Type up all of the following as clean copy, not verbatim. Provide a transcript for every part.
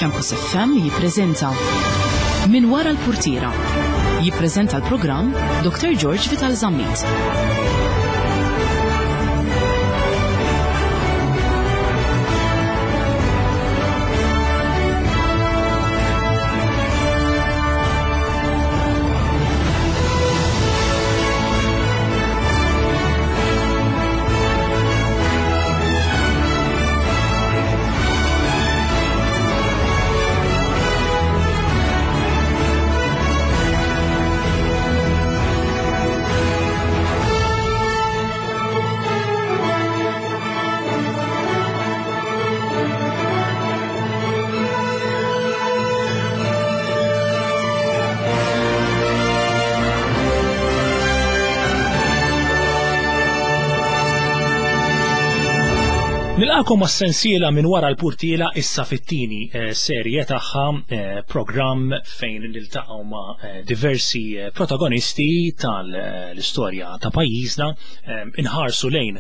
Campus FM jippreżenta Min wara l-purtiera. Jippreżenta l-programm Dr. George Vital Zammit. Nilqakom għas-sensiela minn wara l-purtiela issa fit-tieni eh, serje tagħha eh, programm fejn niltaqgħu ma' eh, diversi protagonisti tal-istorja ta' pajjiżna inħarsu lejn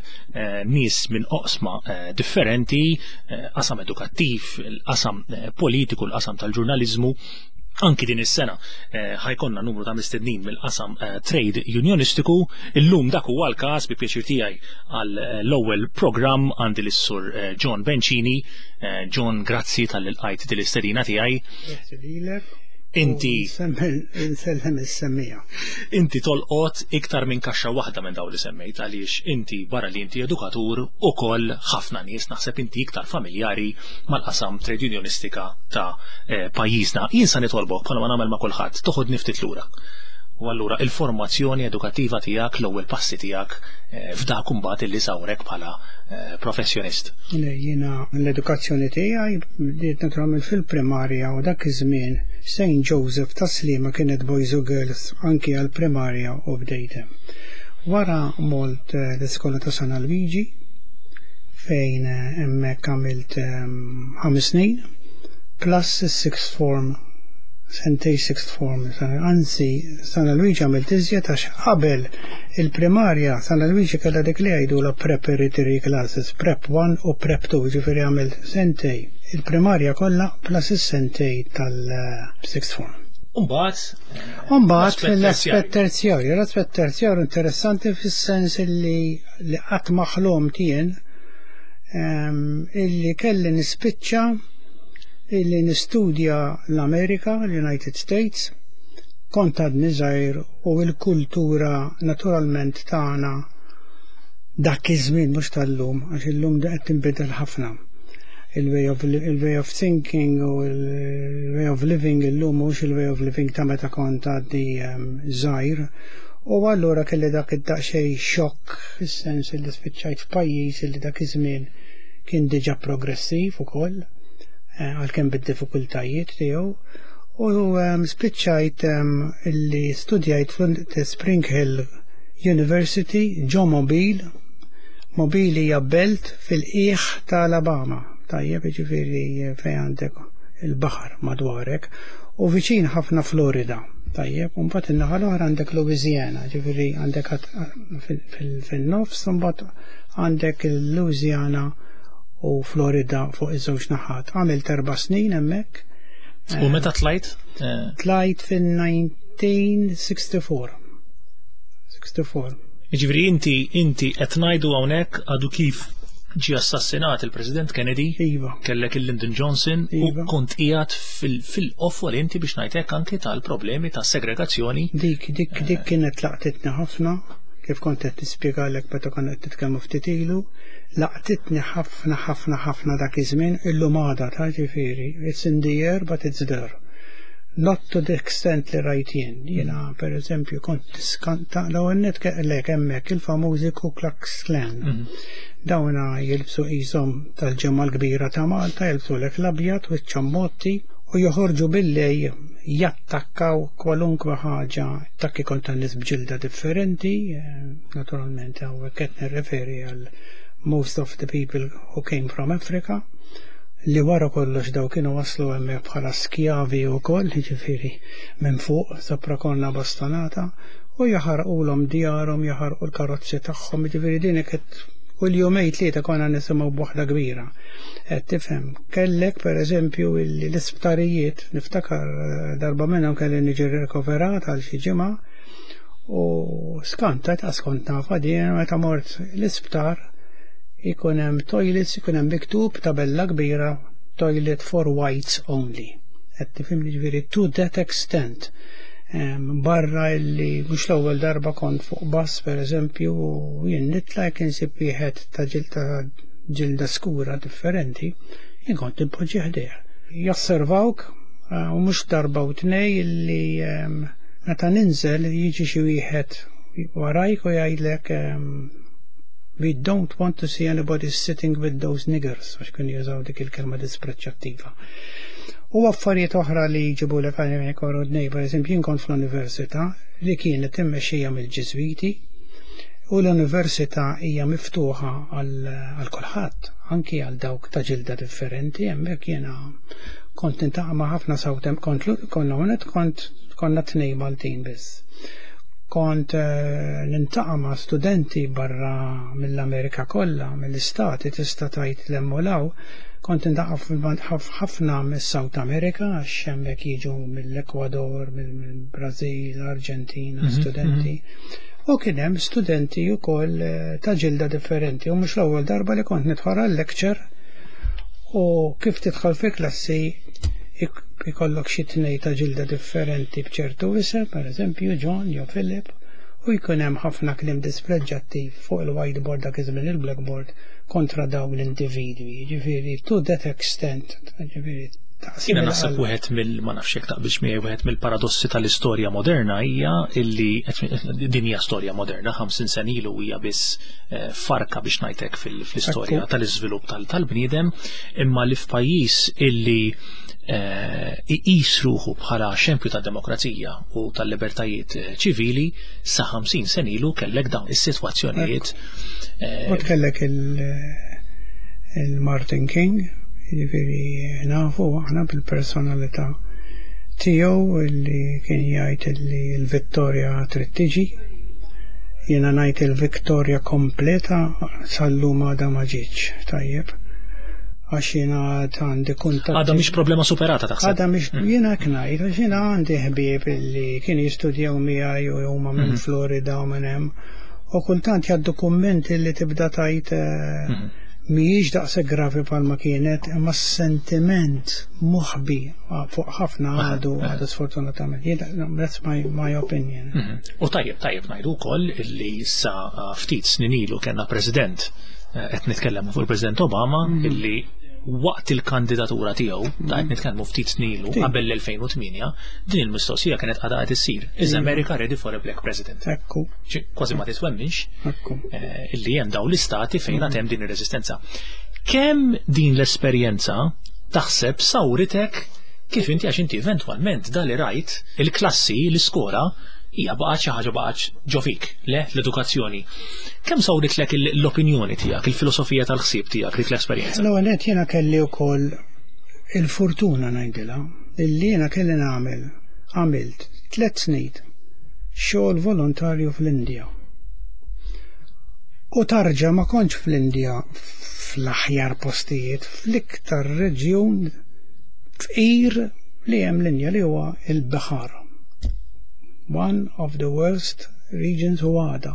nies minn oqsma differenti, qasam edukattiv, il-qasam politiku, l-qasam tal-ġurnaliżmu, Anki din is-sena eh, ħajkonna numru ta' mistednin mill-qasam eh, trade unionistiku. Illum dak huwa l-każ bi pjaċir tiegħi għal eh, l-ewwel programm għandi lis-sur John Bencini. John, grazzi tal-ilqajt din l-istedina tiegħi. Grazzi lilek. Inti Insellem is-semmija. Inti tolqot iktar minn kaxxa waħda minn dawn li semmejt għaliex inti barra li inti edukatur ukoll ħafna nies naħseb inti iktar familjari mal-qasam trade unionistika ta' eh, pajjiżna. Jien sa nitolbok bħalma nagħmel ma' kulħadd, toħodni ftit lura. U allura il-formazzjoni edukattiva tiegħek, l-ewwel passi tiegħek eh, f'dak imbagħad illi sawrek bħala eh, professjonist. Jiena l-edukazzjoni tiegħi bdiet naturalment fil-primarja u dak iż-żmien St. Joseph ta' Sliema kienet boys u girls anki għall-primarja u bdejt hemm. Wara molt l-iskola ta' San Alvigi fejn hemmhekk għamilt ħames snin plus is-sixth form sentej sixth form. Anzi, San Luigi għamilt iżjed għax qabel il-primarja San Luigi kellha dik li jgħidula preparatory classes, prep 1 u prep 2, ġifieri għamilt sentej il-primarja kollha plus is-sentej tal-sixth form. Umbagħad Umbagħad l-aspett terzjarju, l-aspett terzjarju interessanti fis-sens li li qatt ma ħlomt jien illi kelli nispiċċa illi nistudja l-Amerika, l-United States, kont għadni żgħir u l-kultura naturalment tagħna dak iż-żmien mhux tal-lum, għax illum qed tinbidel ħafna. Il-way of, il-way of thinking u il-way of living illum mhux il-way of living ta' meta kont għadni żgħir. U allura kelli dak id-daqsxejn xokk fis-sens li spiċċajt f'pajjiż li dak iż-żmien kien diġà progressiv ukoll, eh, għalkemm bid-diffikultajiet tiegħu. U ehm, spiċċajt ehm, li studjajt fl-Spring Hill University ġo Mobile. Mobile hija belt fil-qiegħ ta' Alabama. Tajjeb, jiġifieri eh, fejn għandek il-baħar madwarek u viċin ħafna Florida. Tajjeb, u mbagħad in-naħa l-oħra għandek Louisiana, ġifieri għandek fin-nofs u mbagħad għandek il-Louisiana u Florida fuq iż-żewġ naħat. Għamilt erba' snin hemmhekk. U meta tlajt? Eh, tlajt fin-1964. 64. Jiġifieri inti inti qed ngħidu hawnhekk għadu kif ġie assassinat il-President Kennedy, iva. kellek il-Lyndon Johnson u iva. kont qiegħed fil-qofol inti biex ngħidlek anki tal-problemi ta' segregazzjoni. Dik, dik, dik kienet laqtitni ħafna, kif kont qed tispjegalek meta konna qed nitkellmu ftit ilu, laqtitni ħafna ħafna ħafna dak iż-żmien illum għadha ta' ġifieri, it's in the air but it's there. Not to the extent li rajt jien. Jiena per eżempju kont tiskanta l-ewwel nett kellek hemmhekk il-famużi Ku Klux Klan. Mhm. Dawna jilbsu qishom tal-Ġimgħa l-Kbira ta' Malta, jilbsulek l-abjad u ċ-ċammotti u joħorġu billejl jattakkaw kwalunkwe ħaġa, attakki kontra nies b'ġilda differenti, eh, naturalment hawnhekk qed nirreferi għal most of the people who came from Africa, li wara kollox daw kienu waslu hemmhekk bħala skjavi wkoll, jiġifieri minn fuq sopra konna bastonata, u jaħarqulhom djarhom, jaħarqu l-karozzi tagħhom, jiġifieri din kienet Kull jumejn tlieta konna nisimgħu b'waħda kbira. Qed tifhem, kellek pereżempju l-isptarijiet, niftakar eh, darba minnhom kelli niġi rikoverat għal xi ġimgħa u skantajt għas kont nafa din meta mort l-isptar ikun hemm toilets, ikun hemm miktub tabella kbira toilet for whites only. Qed tifhimni ġifieri to that extent. Barra illi mhux l-ewwel darba kont fuq bus pereżempju u jien nitla' jekk insib wieħed ta' ġilda ġilda skura differenti, jien kont inpoġġi ħdejh. Josservawk eh, u mhux darba u tnej illi meta ninżel jiġi xi wieħed warajk u jgħidlek we don't want to see anybody sitting with those niggers, għax kienu jużaw dik il-kelma dispreċċattiva. U affarijiet oħra li jġibulek għajnejk wara dnej, per eżempju, jien kont fl-università li kienet immexxija mill-Ġiżwiti u l-università hija miftuħa għal kulħadd, anki għal dawk ta' ġilda differenti, hemmhekk jiena kont nintaqa' ma' ħafna sawtem kont konna kont konna tnej Maltin biss. Kont eh, nintaqa' ma' studenti barra mill-Amerika kollha, mill-istati tista' tgħid l-emmolaw, Kont intaqa' ħafna mis-South America għax hemmhekk jiġu mill-Ekwador, mill-Brażil, Arġentina, mhm, studenti. Mhm. U kien hemm studenti wkoll eh, ta' ġilda differenti u mhux l-ewwel darba li kont nidħol għal lecture u kif tidħol fi klassi ikollok xi tnej ta' ġilda differenti b'ċertu isem, pereżempju John jew Philip, u jkun hemm ħafna kliem dispreġġattiv fuq il-whiteboard dak iż-żmien il-blackboard kontra dawn l-individwi, ġifieri to that extent, ġifieri Jiena naħseb wieħed mill ma nafx jekk taqbilx miegħi wieħed mill-paradossi tal-istorja moderna hija illi din hija storja moderna 50 sena ilu hija biss eh, farka biex ngħidlek fl-istorja tal-iżvilupp tal-bniedem imma li f'pajjiż illi eh, iqis ruħu bħala xempju ta' demokrazija u tal-libertajiet eh, ċivili sa 50 sena ilu kellek dawn is-sitwazzjonijiet. Eh, U kellek il-Martin King, jiġifieri nafu aħna bil-personalità tiegħu li kien jgħid li l-vittorja trid tiġi. Jiena ngħid il-vittorja kompleta sal-lum għadha ma ġietx, tajjeb għax jiena għandi kuntatt. Għadha mhix problema superata taħseb. Għadha mhix mm. jiena hekk ngħid għax jiena għandi ħbieb illi kienu jistudjaw miegħi u huma minn mm. Florida u minn hemm. U kultant jgħaddu kummenti li tibda tajt eh, mm. mhijiex daqshekk gravi bħalma kienet, imma sentiment moħbi fuq ħafna għadu għadu sfortunatament. That's my, my opinion. Mm-hmm. U tajjeb, tajjeb ngħidu wkoll illi sa eh, ftit snin ilu kellna president eh, qed nitkellem fuq il-President Obama mm. illi waqt il-kandidatura tiegħu, ta' qed mhm. nitkellmu ftit snilu qabel l-2008, din il-mistoqsija kienet għadha qed issir. Is mhm. America ready for a black president? Ekku. Kważi ma titwemminx eh, illi hemm dawn l-istati fejn għad hemm din ir-reżistenza. Kemm din l-esperjenza taħseb sawritek kif inti għax inti eventwalment dali rajt il-klassi, l-iskola, hija baqgħet xi ħaġa baqgħet ġo fik, le l-edukazzjoni. Kemm sawritlek l-opinjoni tiegħek, il-filosofija tal-ħsieb tiegħek dik l-esperjenza? L-ewwel nett jiena kelli wkoll il-fortuna ngħidilha illi jiena kelli nagħmel għamilt tliet snin xogħol volontarju fl-Indja. U tarġa ma kontx fl-Indja fl-aħjar postijiet, fl-iktar reġjun fqir li hemm l-Indja li huwa il-Bihar. One of the worst regions u għada.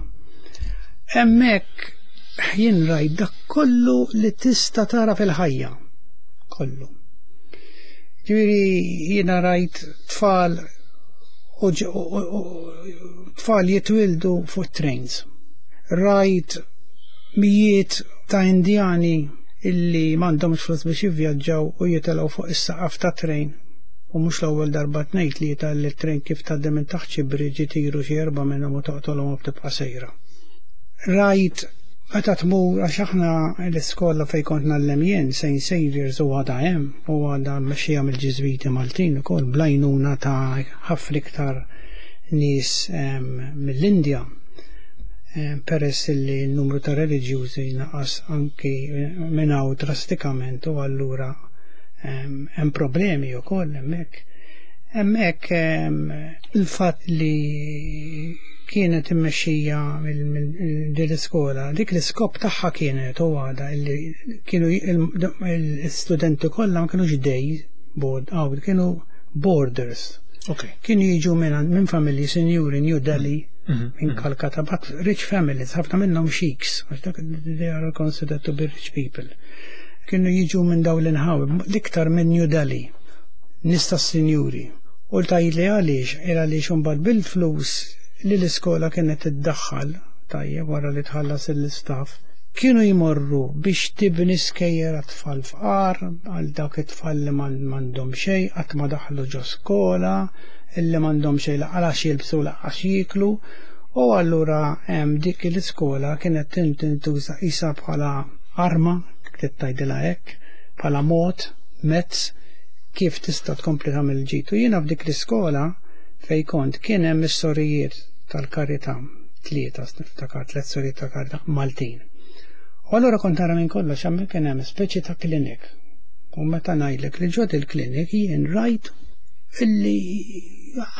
Hemmhekk jien rajt dak kollu li tista' tara fil-ħajja. Kollu. Ġifieri jiena rajt tfal u tfal jitwildu fuq trains. Rajt mijiet ta' Indjani illi m'għandhomx flus biex jivvjaġġaw u jitilgħu fuq is-saqaf ta' train U mhux l-ewwel darba tnejn tlieta li t-trejn kif tgħaddi minn taħt xi bridge itiru xi erbgħa minnhom u toqtolhom u btibqa' sejra. Rajt meta tmur għax aħna l-iskola fejn kont ngħallem jien, St. Saviour's u għadha hemm u għadha mmexxija mill-Ġiżwiti Maltin ukoll bl-għajnuna ta' ħafna iktar nies mill-Indja peress li n-numru ta' reliġjużi naqas anki minn hawn drastikament u allura hemm problemi wkoll hemmhekk. Hemmhekk il-fatt li kienet immexxija minn din l-iskola. Dik l-iskop tagħha kienet u għada illi kienu l-istudenti kollha ma kinux day board out, kienu boarders. Kienu jiġu minn familji sinjuri New Delhi, minn Calcutta, but rich families, ħafna minnhom sheiks, għax dak they are considered to be rich people. Kienu jiġu minn dawn l-inħawi, l-iktar minn New Delhi, nies tas-sinjuri. U tgħidli għaliex, il għaliex imbagħad bil-flus li l-iskola kienet iddaħħal, tajjeb wara li tħallas l-istaff, kienu jmorru biex tibni skejjel għat-tfal fqar, għal dawk it-tfal li m'għandhom xejn, qatt ma daħlu ġo skola, illi m'għandhom xejn lanqas jilbsu lanqas jieklu, u allura dik l-iskola kienet tintuża qisha bħala arma, trid tgħidilha hekk, bħala mod, mezz kif tista' tkompli tagħmel ġid. U jiena f'dik l-iskola fej kont kien hemm is-sorijiet tal-karità, tlieta, niftakar tliet sorijiet tal-karità Maltin. U allura kont nara minn kollox hemm kien hemm speċi ta' klinik. U meta ngħidlek li ġod il-klinik jien rajt illi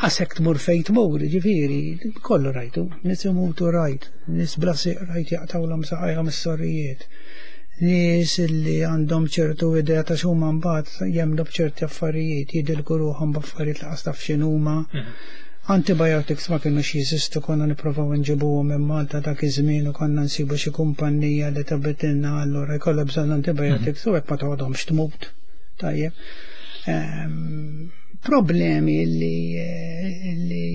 għasek tmur fejn tmur, ġifieri, kollu rajtu, nies imutu rajt, nies bla sieq rajt jaqtawlhom saqajhom is-sorijiet, nies illi għandhom ċertu idea ta' x'huma mbagħad jemmnu b'ċerti affarijiet, jidilku ruħhom b'affarijiet li qas taf x'inhuma. Antibiotics ma kienux jeżistu, konna nipprovaw nġibuhom minn Malta dak iż-żmien u konna nsibu xi kumpanija li tabitilna allura jkollha bżonn antibiotics u hekk ma toħodhomx tmut. Tajjeb. Problemi li li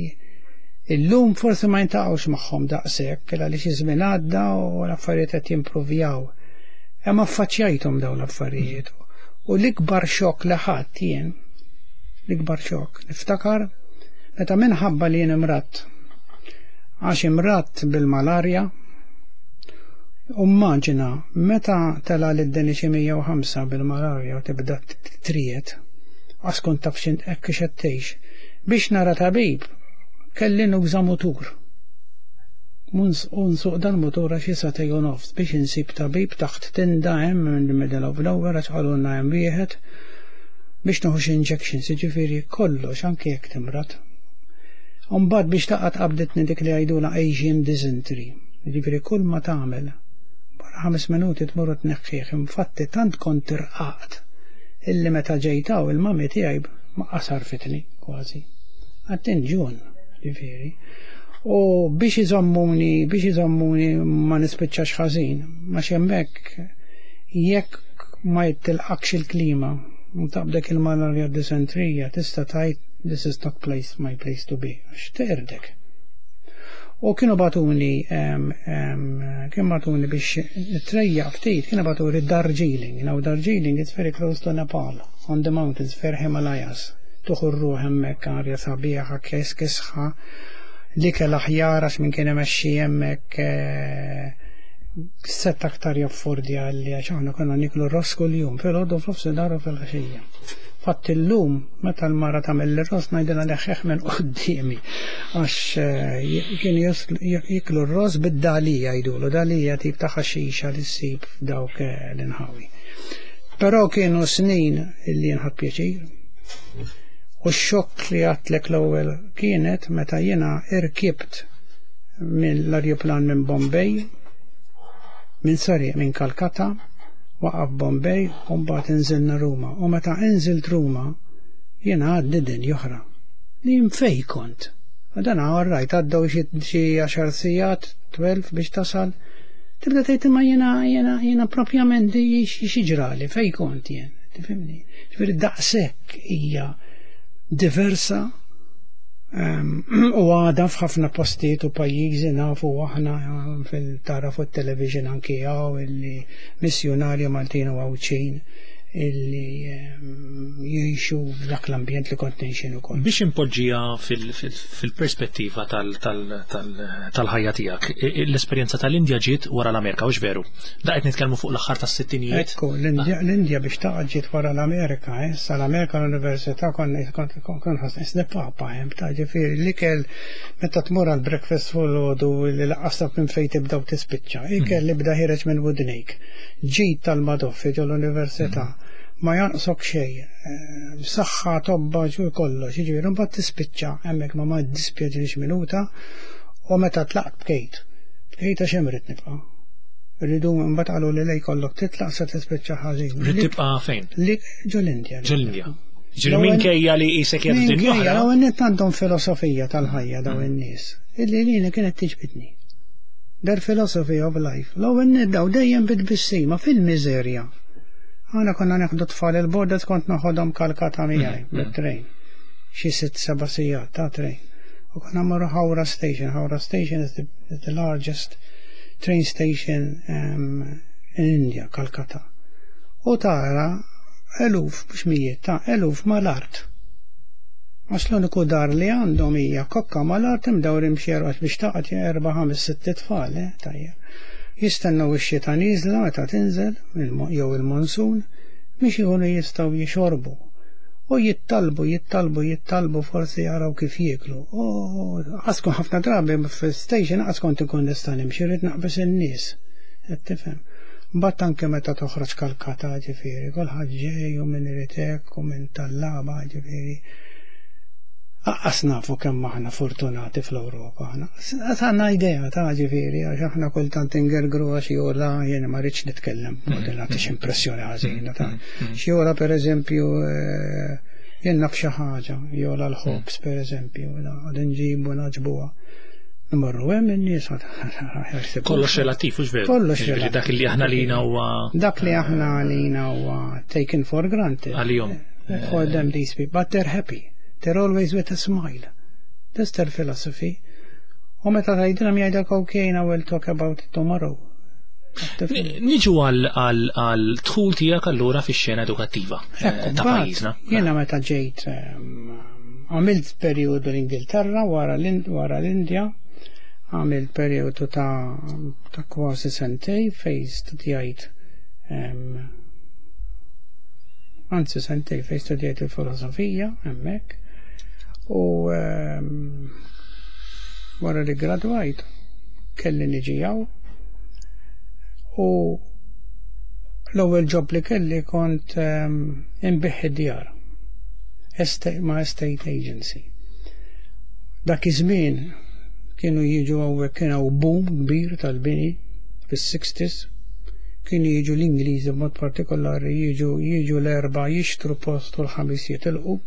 illum forsi ma jintaqgħux magħhom daqshekk għaliex iż-żmien għadda u l-affarijiet qed jimpruvjaw. Imma affaċċjajthom dawn l-affarijiet. U l-ikbar xokk li ħadd jien, l-ikbar xokk, niftakar meta minħabba li jien imradt, għax imradt bil-malarja, u immaġina meta tela lid-deni xi 105 bil-malarja u tibda triet, għax kont taf x'int hekk qed tgħix. Biex nara tabib kelli nuża mutur. U nsuq dan mutur għax xi sagħtejn u nofs biex insib tabib taħt tinda hemm in the middle of nowhere għax qalulna hemm wieħed biex nieħu xi injections, jiġifieri kollox anke jekk timrad. Mbagħad biex taqgħod qabditni dik li jgħidulha Asian dysentery. Jiġifieri kull ma tagħmel wara 5 minuti tmur u tneħħih. Infatti tant kont irqaqt illi meta ġejt hawn il-mami tiegħi ma qasarfitni kważi. Għattin ġun, ġifieri. U biex iżommuni ma nispiċċax ħażin, ma hemmhekk jekk ma jittilqakx il-klima, u taqbdek il-malarja disentrija, tista' tgħid this is not place, my place to be, għax teqrdek. U kienu bagħtuni, kienu bagħtuni biex trejja ftit, kienu bagħtuni Darjeeling. Now Darjeeling is very close to Nepal, on the mountains, fair Himalayas. Tieħu r-ruħ hemmhekk arja sabiħa, kes kisħa, l-ikel aħjar għax minn kien imexxi hemmhekk sett aktar jaffordja li għax aħna konna niklu ross kuljum, fil-għodu f'nofsinhar u fil-għaxija. Fatt illum, meta l-mara tagħmel l-ross ngħidilha neħħeħ minn quddiemi għax kienu jiklu r-ross bid-dalija jgħidulu, dalija tip ta' ħaxixa li ssib f'dawk l-inħawi. Però kienu snin illi nħadd pjaċir. U x-xokk li għedtlek l-ewwel kienet meta jiena irkibt minn l-arjuplan minn Bombay, minn sorry, minn Calcutta, waqaf Bombay u mbagħad inżilna Ruma. U meta inżilt Ruma, jiena għaddi dinja oħra. Li fej kont. U dan għarrajt għaddew xi 10 sigħat, 12 biex tasal. Tibda tgħid imma jiena propjament xi ġrali fej kont jien. Tifhimni? Ġifieri daqshekk hija diversa u għada f'ħafna postijiet u pajjiżi nafu aħna fil-tara fuq television anki hawn illi missjonarji Maltin u Għawdxin illi jgħixu f'dak l-ambjent li kont ngħixin ukoll. Biex impoġġija fil-perspettiva tal-ħajja tiegħek, l-esperjenza tal-Indja ġiet wara l-Amerika, hux veru? Da qed nitkellmu fuq l-aħħar tas-sittinijiet. Ekku, l-Indja biex taqa' ġiet wara l-Amerika, eh? Sa l-Amerika l-Università kont ħassni papa hemm ta' ġifieri l-ikel meta tmur għal breakfast filgħodu li lanqas taf minn fejn tibda u tispiċċa. Ikel li bda ħiereġ minn widnejk. Ġid tal-madoffi ġol università. Ma jonqsok xejn. Saħħa tobba ġu kollox, jiġifieri mbagħad tispiċċa hemmhekk ma ma ddispjaċinix minuta. U meta tlaqt bkejt. Bkejt għax hemm ridt nibqa'. Rridu mbagħad qalu li lej kollok titlaq se tispiċċa ħażin. Ridt tibqa' fejn? Li ġol-Indja. Ġol-Indja. Ġifieri minkejja li qisek qiegħed f'dinja Minkejja, oħra. L-ewwel nett għandhom filosofija tal-ħajja daw in-nies. Illi lili kienet tiġbidni. Their philosophy of life. L-ewwel nett daw dejjem bit-tbissima fil-miżerja. Aħna konna neħdu tfal il-borders, kont noħodhom Kalkata miegħi bit-train. Xi 6-7 sigħat ta' train. U konna mmorru Howrah Station. Howrah Station is the largest train station in India, Calcutta. U tara eluf, mhux mijiet, ta' eluf mal-art. Għax l-uniku dar li għandhom hija kokka mal-art imdawrin b'xi erba' biex taqgħod erba' ħames sitt tfal, tajjeb. Jistennew ix-xita nieżla meta tinżel jew il-monsun biex ikunu jistgħu jixorbu. U jittalbu, jittalbu, jittalbu forsi jaraw kif jieklu. U għaskun ħafna drabi fil-station għas kont ikun nista' nimxi, rrid naqbes in-nies. Qed tifhem. Mbagħad anke meta toħroġ Kalkata, ġifieri, kulħadd ġej u min irid hekk u min tallaba, ġifieri. Aqqas nafu kemm aħna fortunati fl-Ewropa aħna. Għandna idea ta' ġifieri, għax aħna kultant ingergru għax jola, jiena ma rridx nitkellem b'mod li nagħti xi impressjoni ħażina ta' xi jola pereżempju, jien naf xi ħaġa, jola l-ħobż pereżempju, għad nġibu naġbuha. Imorru hemm in-nies għad Kollox relattiv, hux veru? Kollox Ġifieri relattiv. Dak li aħna lina huwa Dak li aħna lina huwa taken for granted. Għalihom. For them these people, but they're happy. They're always with a smile. That's their philosophy. U meta tgħidilhom jgħidlek okay, now we'll talk about it tomorrow. Niġu għal dħul tiegħek allura fix-xena edukattiva Ekku, ta' mbagħad, pajjiżna. Jiena meta ġejt, għamilt periodu l-Ingilterra wara l-Indja, għamilt periodu ta' kważi sentej fej studjajt, anzi sentej fej studjajt il-filosofija hemmhekk. U wara li gradwajt kelli niġi hawn. U l-ewwel job li kelli kont inbigħ id-djar ma' estate agency. Dak iż-żmien kienu jiġu hawnhekk, kien hawn boom kbir tal-bini fis-60s, kienu jiġu l-Ingliżi b'mod partikolari, jiġu l-Erbgħa jixtru post u l-Ħamis jitilqu.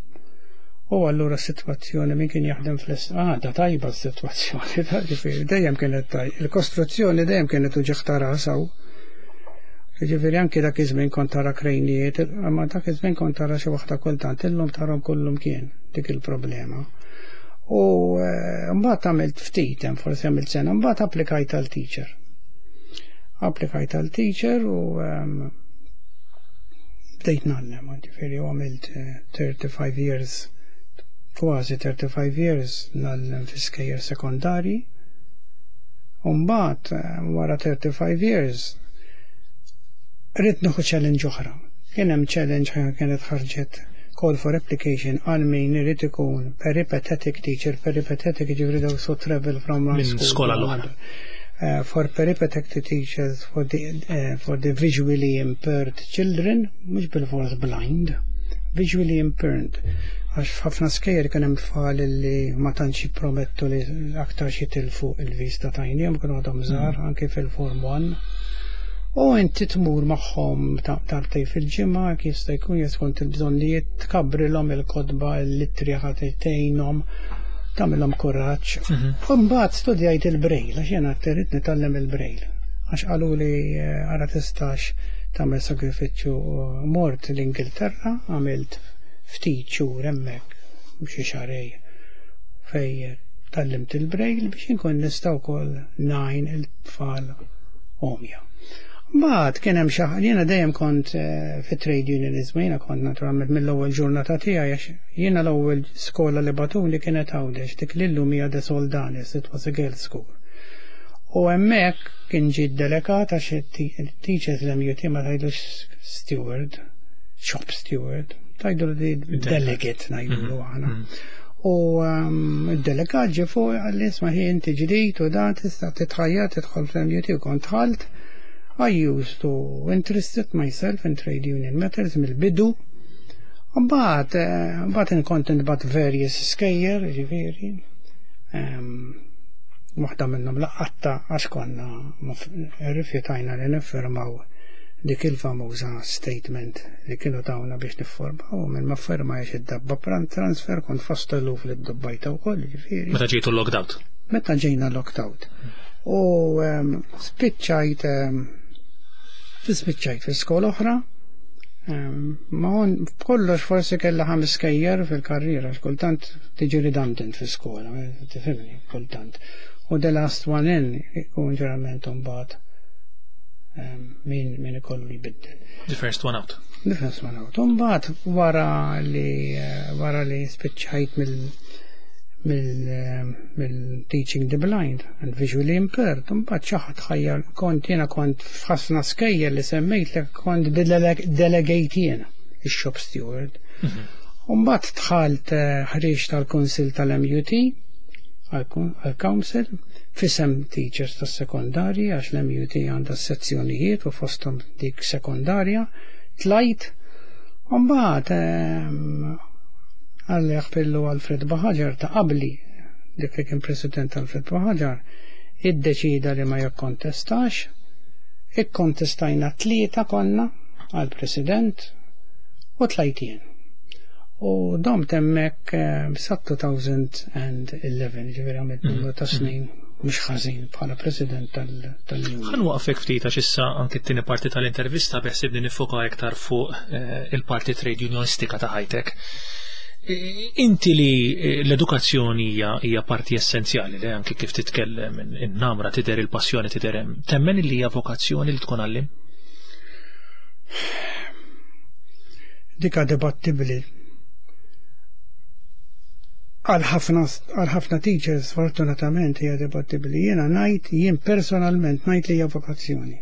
U allura s-sitwazzjoni min kien jaħdem fl-est, da tajba s-sitwazzjoni, ta' ġifieri, dejjem kienet tajba. Il-kostruzzjoni dejjem kienet uġigħ ta' ras hawn. Ġifieri anki dak iż-żmien kont tara krejnijiet, imma dak iż-żmien kont tara xi waħda kultant, illum tarhom kullum kien dik il-problema. U mbagħad għamilt ftit, hemm forsi għamilt sena, mbagħad applikajt għal teacher. Applikajt għal teacher u bdejt ngħallem, ġifieri u għamilt 35 years, kważi 35 years ngħallem fi skejjel sekondarji. U mbagħad wara 35 years ridt nieħu challenge oħra. Kien hemm challenge kienet ħarġet call for application għal min irid ikun peripatetic teacher, peripatetic ġifieri daw so travel from one Minn school skola to l-oħra. another. For peripatetic teachers for the visually impaired children, mhux bil-fors blind, visually impaired. Għax f'ħafna skejjel kien hemm tfal li ma tantx jippromettu li aktar xi tilfu il-vista t'għajnejhom, kienu għadhom żgħar, anke fil-form 1. U inti tmur magħhom darbtej fil-ġimgħa, kif jista' jkun skont il-bżonnijiet, tkabrilhom il-kotba, il-littri ħadd tgħinhom, tagħmilhom kuraġġ. U mbagħad studjajt il-Braille, għax jiena rrid nitgħallem il-Braille. Għax qalu li ara tistax tagħmel sagrifiċċju, mort l-Ingilterra, għamilt ftit xhur hemmhekk, xi xahrejn, fej tgħallimt il-Braille biex inkun nista' wkoll ngħin il-tfal għomja. Mbagħad kien hemm xi ħaġa, jiena dejjem kont fi trade unionism, jiena kont naturalment mill-ewwel ġurnata tiegħi, għax jiena l-ewwel skola li bagħtuni kienet Għawdex, dik li llum hija De Soldanis, it was a girls' school. U hemmhekk kien ġie delegat għax it-teachers l-MUT ma tgħidlux steward, shop steward, tgħidu li delegate ngħidulu aħna. U id-delegat ġie fuq qalli isma' ħi inti ġdid u dan tista' titħajjar tidħol fl-MUT u kont dħalt. I used to interested myself in trade union matters mill-bidu. Mbagħad inkont nibgħat various skejjel, ġifieri. Waħda minnhom laqqatta għax konna rrifjutajna li niffirmaw dik il-famuża statement li kienu tawna biex nifformaw u minn ma ffirmajx id-dabba transfer kont fost eluf li ddobbajta wkoll, ġifieri. Meta ġejtu locked out? Meta ġejna locked out. U spiċċajt spiċċajt fi skola oħra. Ma on kollox forsi kella ħames skejjer fil-karriera, kultant tiġi redundant fi skola, tifhimni, kultant. U the last one in ikun ġeneralment imbagħad min min ikollu jbiddel. The first one out. The first one out. Imbagħad wara li wara li spiċċajt mill mill-teaching the blind and visually impaired, mbagħad xi ħadd ħajjar kont jiena kont f'ħafna skejjel li semmejt li kont delegate jiena ix-shop steward. Mbagħad dħalt ħriġ tal-Kunsill tal-MUT għal-Council f'isem teachers tas-sekondarji għax l-MUT għandha sezzjonijiet u fosthom dik sekondarja tlajt. Mbagħad għalli fillu Alfred Buhagiar ta' qabli dik li kien President Alfred Buhagiar iddeċida li ma jikkontestax. Ikkontestajna tlieta konna għal-President u tlajt jien. U domt hemmhekk sa 2011, ġifieri għamilt numru ta' snin mhux ħażin bħala President tal-Union. Ħa nwaqqfek ftit għax issa anki t-tieni parti tal-intervista beħsibni nifoka iktar fuq il-parti trade unionistika ta' ħajtek. Inti li l-edukazzjoni hija parti essenzjali li anki kif titkellem in-namra tidher il-passjoni tidher hemm. Temmen li hija vokazzjoni li tkun għallim? Dika dibattibli. Għal ħafna teachers fortunatament hija dibattibli. Jiena ngħid, jien personalment ngħid li hija vokazzjoni.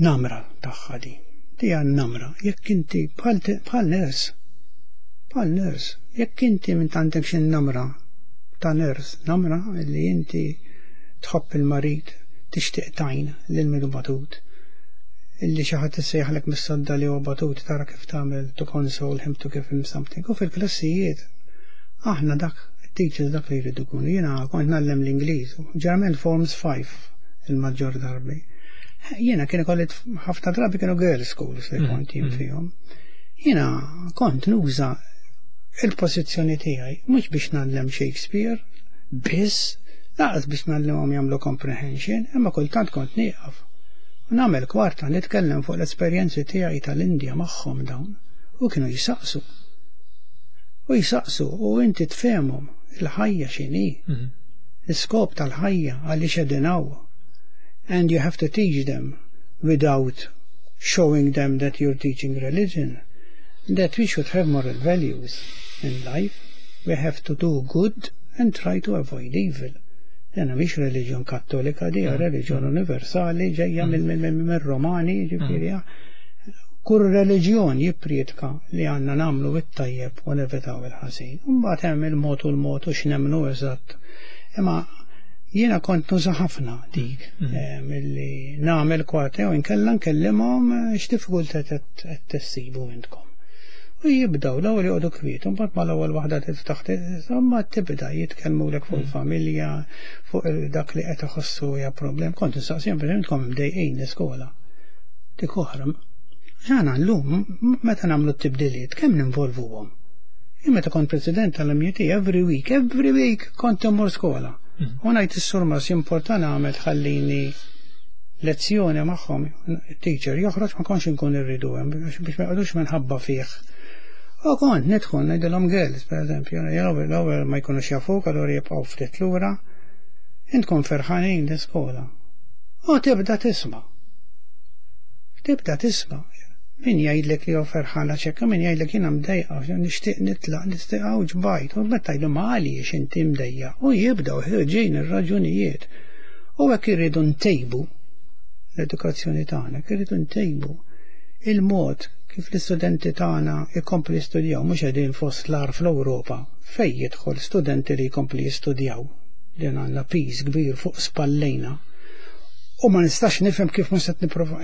Namra tagħha di. Dija namra. Jekk inti bħal nurse, bħal nurse, jekk inti minn għandek xi namra ta' nurse, namra li inti tħobb il-marid, tixtieq tgħin lil min hu batut, illi xi ħadd issejjaħlek mis-sodda li huwa batut tara kif tagħmel to console him, to give him something. U fil-klassijiet aħna dak teachers dak li jridu jkunu. Jiena kont ngħallem l-Ingliż, ġeneralment forms 5 il-maġġor darbi. Jiena kien ikolli ħafna drabi kienu girls schools li kont jien fihom. Jiena kont nuża il-pożizzjoni tiegħi mhux biex ngħallem Shakespeare, biss, lanqas biex ngħallimhom jagħmlu comprehension, imma kultant kont nieqaf. U nagħmel kwarta nitkellem fuq l-esperjenzi tiegħi tal-Indja magħhom dawn u kienu jisaqsu. U jisaqsu u inti tfehmhom il-ħajja x'inhi. L-iskop tal-ħajja għaliex qegħdin hawn. And you have to teach them without showing them that you're teaching religion, that we should have moral values in life. We have to do good and try to avoid evil. Dena mhix reliġjon kattolika, di reliġjon universali ġejja mill-Romani, ġifieri. Kull reliġjon jipprietka li għandna nagħmlu it-tajjeb u nevitaw il-ħażin. Mbagħad hemm il-mod u l-mod u x'nemmnu eżatt. Imma jiena kont nuża ħafna dik milli nagħmel kwarta jew inkella nkellimhom x'diffikultà qed tissibu intkom. U jibdaw l-ewwel joqogħdu kwiet, imbagħad mal-ewwel waħda tiftaħ imma tibda jitkellmulek fuq il-familja, fuq dak li qed iħossu hija problem. Kont nistaqsihom per intkom imdejqin l-iskola. Dik oħra. Ġana llum meta nagħmlu t-tibdiliet kemm ninvolvuhom? Jien meta kont president tal-MUT every week, every week kont immur skola. U ngħid is-surmas jimporta nagħmel tħallini lezzjoni magħhom, teacher joħroġ ma kontx inkun irridu hemm biex ma jqogħdux minħabba fih. U kont nidħol ngħidilhom girls, per eżempju, l-ewwel ma jkunux jafuk, allura jibqgħu ftit lura. Intkom ferħanin l-iskola. U tibda tisma'. Tibda tisma'. Min jgħidlek li hu ferħan għax hekk, min jgħidlek jiena mdejqa, nixtieq nitlaq, nixtieq hawn ġbajt, u meta tgħidlu ma għaliex inti mdejja, u jibdew ħirġin ir-raġunijiet. U hekk irridu ntejbu l-edukazzjoni tagħna, hekk irridu ntejbu il-mod kif l-istudenti tagħna jkomplu jistudjaw, mhux qegħdin fost l-agħar fl-Ewropa fejn jidħol studenti li jkomplu jistudjaw, li għandna piż kbir fuq spallejna. U ma nistax nifhem kif mhux qed nipprova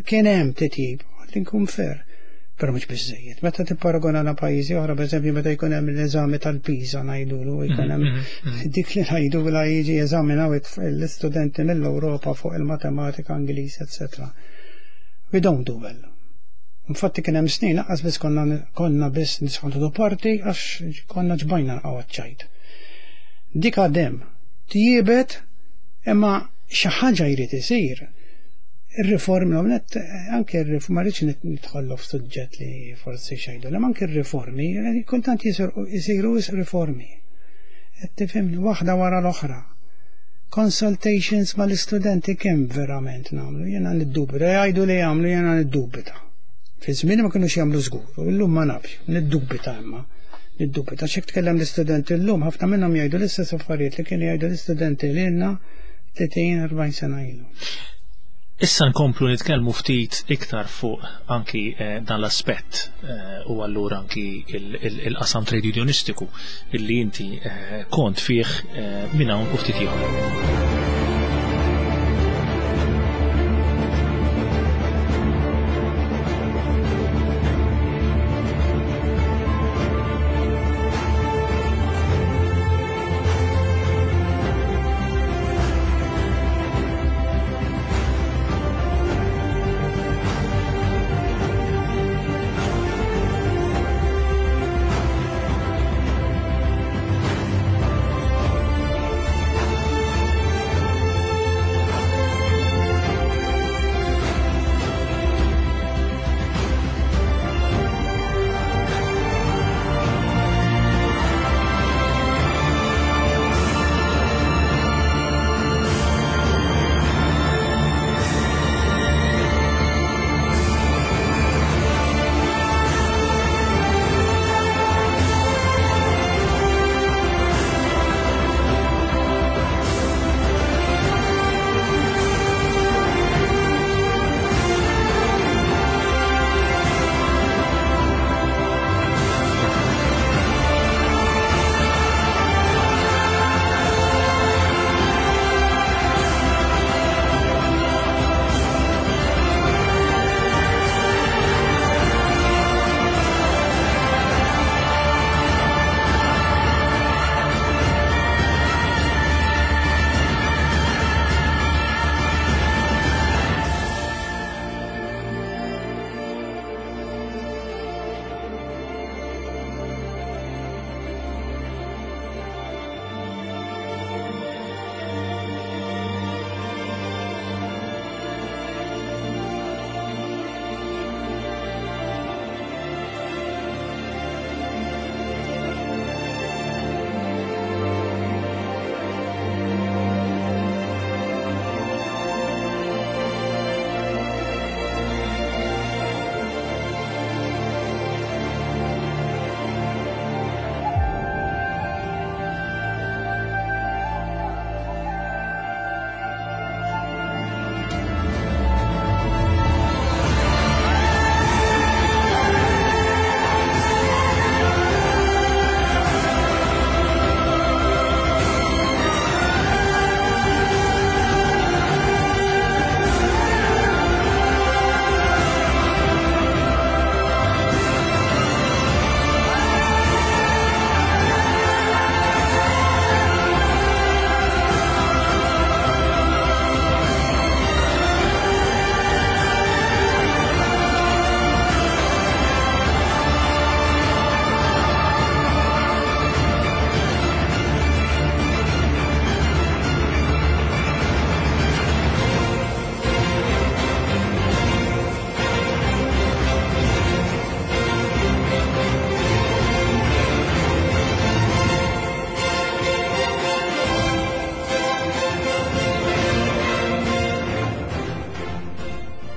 kien hemm titjib, li nkun fair. Però mhux biżejjed. Meta tipparagona ma' pajjiżi oħra, pereżempju meta jkun hemm l-eżami tal-PISA ngħidulu, jkun hemm dik li ngħidulha jiġi jeżaminaw l-istudenti mill-Ewropa fuq il-matematika, Ingliż, etc. We don't do well. Infatti kien hemm snin lanqas biss konna konna biss nisħantu parti għax konna ġbajna nqgħu ċajt. Dik għadem tjiebet imma xi ħaġa jrid isir. Ir-riformi net anke r-riformi ma rridx nidħollu f'suġġett li forsi xejdu, imma anke r-riformi kultant jisiru riformi. Qed tifhimni waħda wara l-oħra. Consultations mal-istudenti kemm verament nagħmlu, jiena niddubita, jgħidu li jagħmlu jiena niddubita. Fi żmien ma kinux jagħmlu żgur, u llum ma nafx, niddubita imma. Niddubita x'hekk tkellem l-istudenti llum ħafna minnhom jgħidu l-istess affarijiet li kienu jgħidu l-istudenti lilna 30-40 sena ilu. Issa nkomplu nitkellmu ftit iktar fuq anki dan l-aspett u allura anki il-qasam trade unionistiku illi inti kont fih minn hawn u ftit ieħor.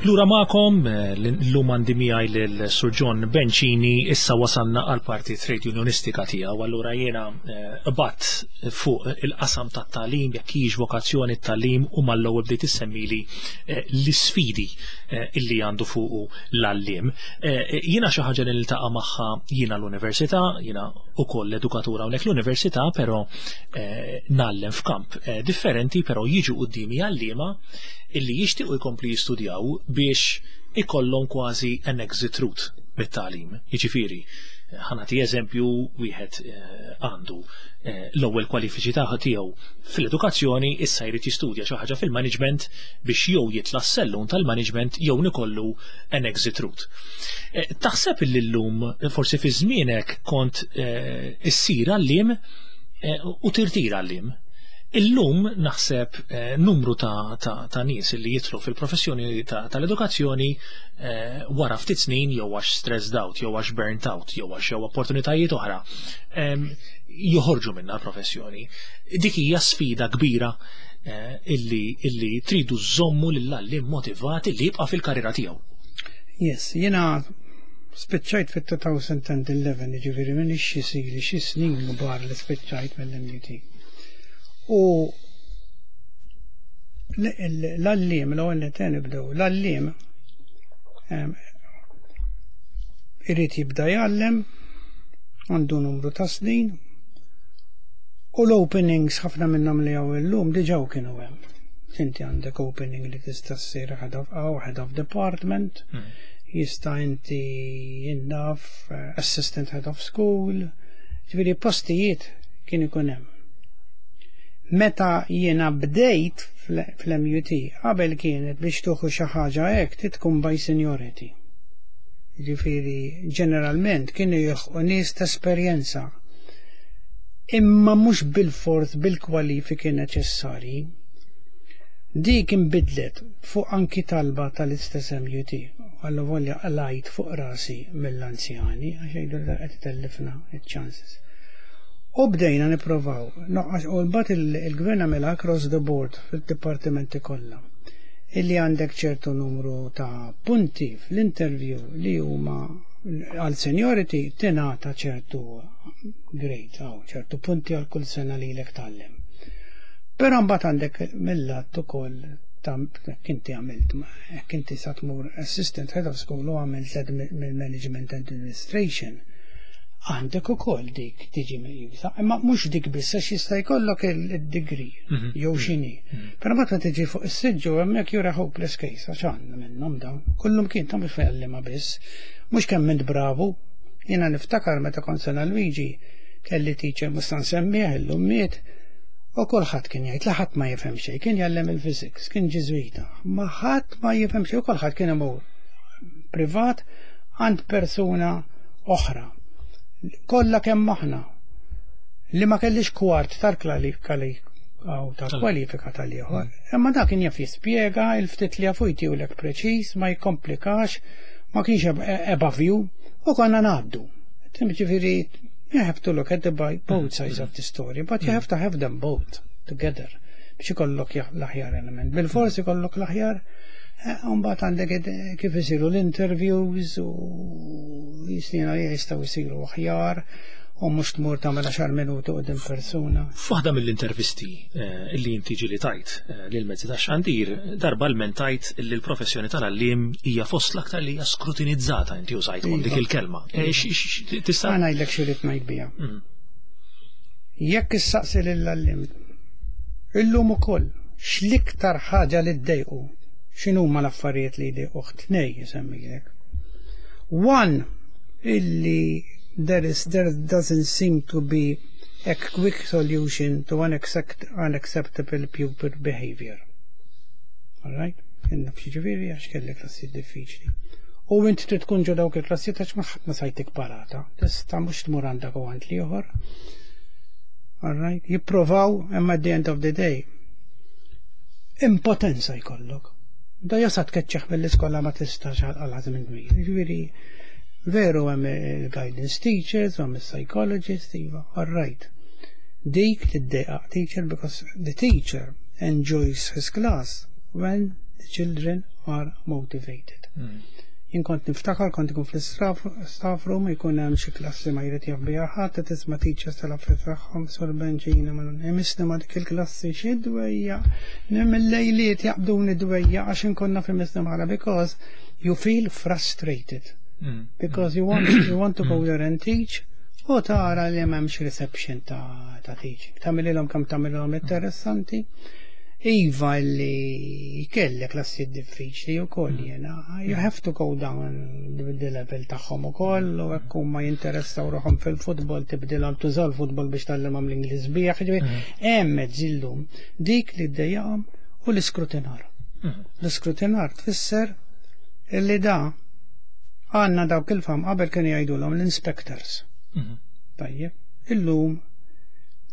Lura magħkom, llum għandi miegħi lil Sur John Bencini, issa wasalna għal parti trade unionistika tiegħu, allura jiena qbadt fuq il-qasam tat-tagħlim, jekk hijiex vokazzjoni t-tagħlim, u mal-ewwel bdejt issemmili l-isfidi illi għandu fuqu l-għalliem. Jiena xi ħaġa li niltaqa' magħha jiena l-università, jiena ukoll edukatur hawnhekk l-università, però ngħallem f'kamp differenti, però jiġu quddiemi għalliema illi jixtiequ jkomplu jistudjaw biex ikollhom kważi an exit route. mit-tagħlim. Jiġifieri, ħa nagħti eżempju, wieħed għandu l-ewwel kwalifiċi tiegħu fil-edukazzjoni, issa jrid jistudja xi ħaġa fil-management biex jew jitla' s-sellum tal-management jew ikollu an exit route. Taħseb li llum, forsi fi żmienek kont issir għalliem u tirtira għalliem? Illum naħseb numru ta' nies li jidħlu fil-professjoni tal-edukazzjoni wara ftit snin, jew għax stressed out, jew għax burnt out, jew għax jew opportunitajiet oħra, joħorġu minna l-professjoni. Dik hija sfida kbira illi tridu żommu lill-għalliem motivati li jibqa' fil-karriera tiegħu. Yes, jiena spiċċajt fit-2011, ġifieri minn xi sili xi snin kbar li spiċċajt mill-MUT. U l-għalliem, l-ewwel li nibdew, l-għalliem irid jibda jgħallem, għandu numru ta' snin, u l-openings ħafna minnhom li hawn illum diġà kienu hemm. Inti għandek opening li tista' ssir head of department, jista' inti jinnaf assistant head of school, ġifieri postijiet kien ikun hemm. Meta jiena bdejt fl-MUT, qabel kienet biex tieħu xi ħaġa hekk trid tkun by seniority. Ġifieri ġeneralment kienu jilħqu nies ta' esperjenza. Imma mhux bil-fors bil-kwalifiki neċessarji. Dik inbidlet fuq anki talba tal-istess MUT. Għallu volja għalajt fuq rasi mill-anzjani, għax jgħidu li qed tellifna il-chances. U bdejna nipprovaw, u mbagħad il-gvern għamilha across the board fil-dipartimenti kollha. Illi għandek ċertu numru ta' punti fl-interview li huma għal seniority, tingħata ċertu grade, aw, ċertu punti għal kull sena li lek tgħallem. Però mbagħad għandek mill-lat ukoll ta' inti għamilt, jekk inti sa tmur assistant head of school u għamilt mill-management administration, għandek ukoll dik tiġi meqjusa, imma mhux dik biss, għax jista' jkollok il-degree jew x'inhi. Però meta tiġi fuq is-siġġu hemmhekk you're a hopeless case, għax għandna minnhom dawn. Kullum kien ta' mhux fejn biss. Mhux kemm int bravu. Jiena niftakar meta kont San Luigi kelli teacher, mhux sa nsemmih illum, miet, u kulħadd kien jgħid li ħadd ma jifhem xejn, kien jgħallem il-physics, kien Ġiżwita, ma ħadd ma jifhem xejn u kulħadd kien imur privat għand persuna oħra. Kollha kemm aħna li ma kellix kwart tal-kwalifika tal-ieħor. Imma dak kien jaf jispjega il-ftit li jafu, jtihulek preċiż, ma jkomplikax, ma kienx above you, u konna ngħaddu. Ġifieri, you have to look at the both sides of the story, but you have to have them both together biex ikollok l-aħjar element. Bil-forsi ikollok l-aħjar. Mbagħad għandek kif isiru l-interviews u jisnina jistgħu jsiru aħjar u mhux tmur tagħmel 10 minuti quddiem persuna. F'waħda mill-intervisti illi inti ġieli tajt lil mezzi ta' xandir, darba l-mentajt li l-professjoni tal-għalliem hija fost l-aktar li hija skrutinizzata, inti użajt dik il-kelma. Tista' Ħa ngħidlek x'irrid ngħid biha. Jekk issaqsi lill-għalliem illum ukoll x'l-iktar ħaġa li ddejqu, x'inhuma l-affarijiet li jdejquh, tnej jsemmilek. One, illi there doesn't seem to be a quick solution to unacceptable pupil behavior. All right? Inna ġifieri għax kelli klassi diffiċli. U int trid tkun ġo dawk il-klassi għax ma ħadd ma sa jtik parata. Tista' mhux tmur għandek u għand l-ieħor. All right? Jipprovaw, imma at the end of the day impotenza jkollok. Da jasa tkeċċeħ mill-iskola ma tistax għal minn kbir. Ġifieri veru hemm il-guidance teachers, hemm il-psychologist, iva, all right. Dik tiddejqa teacher because the teacher enjoys his class when the children are motivated. Jien kont niftakar, kont ikun fl-staff room, jkun hemm xi klassi ma jrid jaf biha ħadd, tisma' teachers tal-affarijiet tagħhom sur benġina ma imisni ma dik il-klassi xi dwejja, mill-lejliet jaqbduni dwejja għax inkonna fi misni magħha because you feel frustrated. Because you want to go there and teach u tara li m'hemmx reception ta' teaching. Tagħmililhom kemm tagħmililhom interessanti. Iva li kellek klassi diffiċli u koll jena. You have to go down the level tagħhom ukoll u hekk huma jinteressaw ruħhom fil-futbol tibdilhom tuża l-futbol biex tgħallimhom l-Ingliż bih. Ġifieri, hemm mezzi llum dik li ddejjaqhom u l-iskrutinar. L-iskrutinar tfisser illi da għandna dawk il-fam qabel kienu jgħidulhom l-inspectors. Tajjeb, illum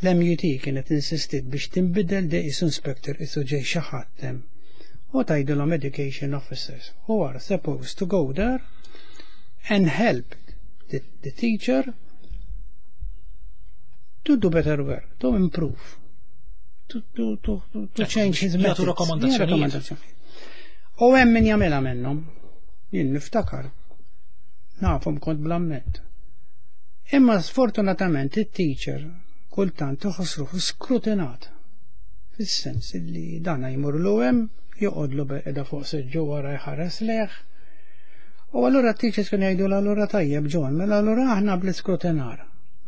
l-MUT kienet insistit biex tinbidel de isu inspector isu ġej xi ħadd hemm. U tgħidilhom education officers who are supposed to go there and help the teacher to do better work, to improve, to change his Jagħtu methods. rakkomandazzjonijiet. Rakkomandazzjonijiet. U hemm min jagħmilha minnhom. Jien niftakar. Nafhom kont bl-amment. Imma sfortunatament it-teacher kultant iħoss ruħu skrutinat. Fis-sens li dana jmur hemm, joqgħodlu qiegħda fuq seġġu wara jħares lejh. U allura t-teachers kienu jgħidu allura tajjeb John, mela allura aħna bl-iskrutinar.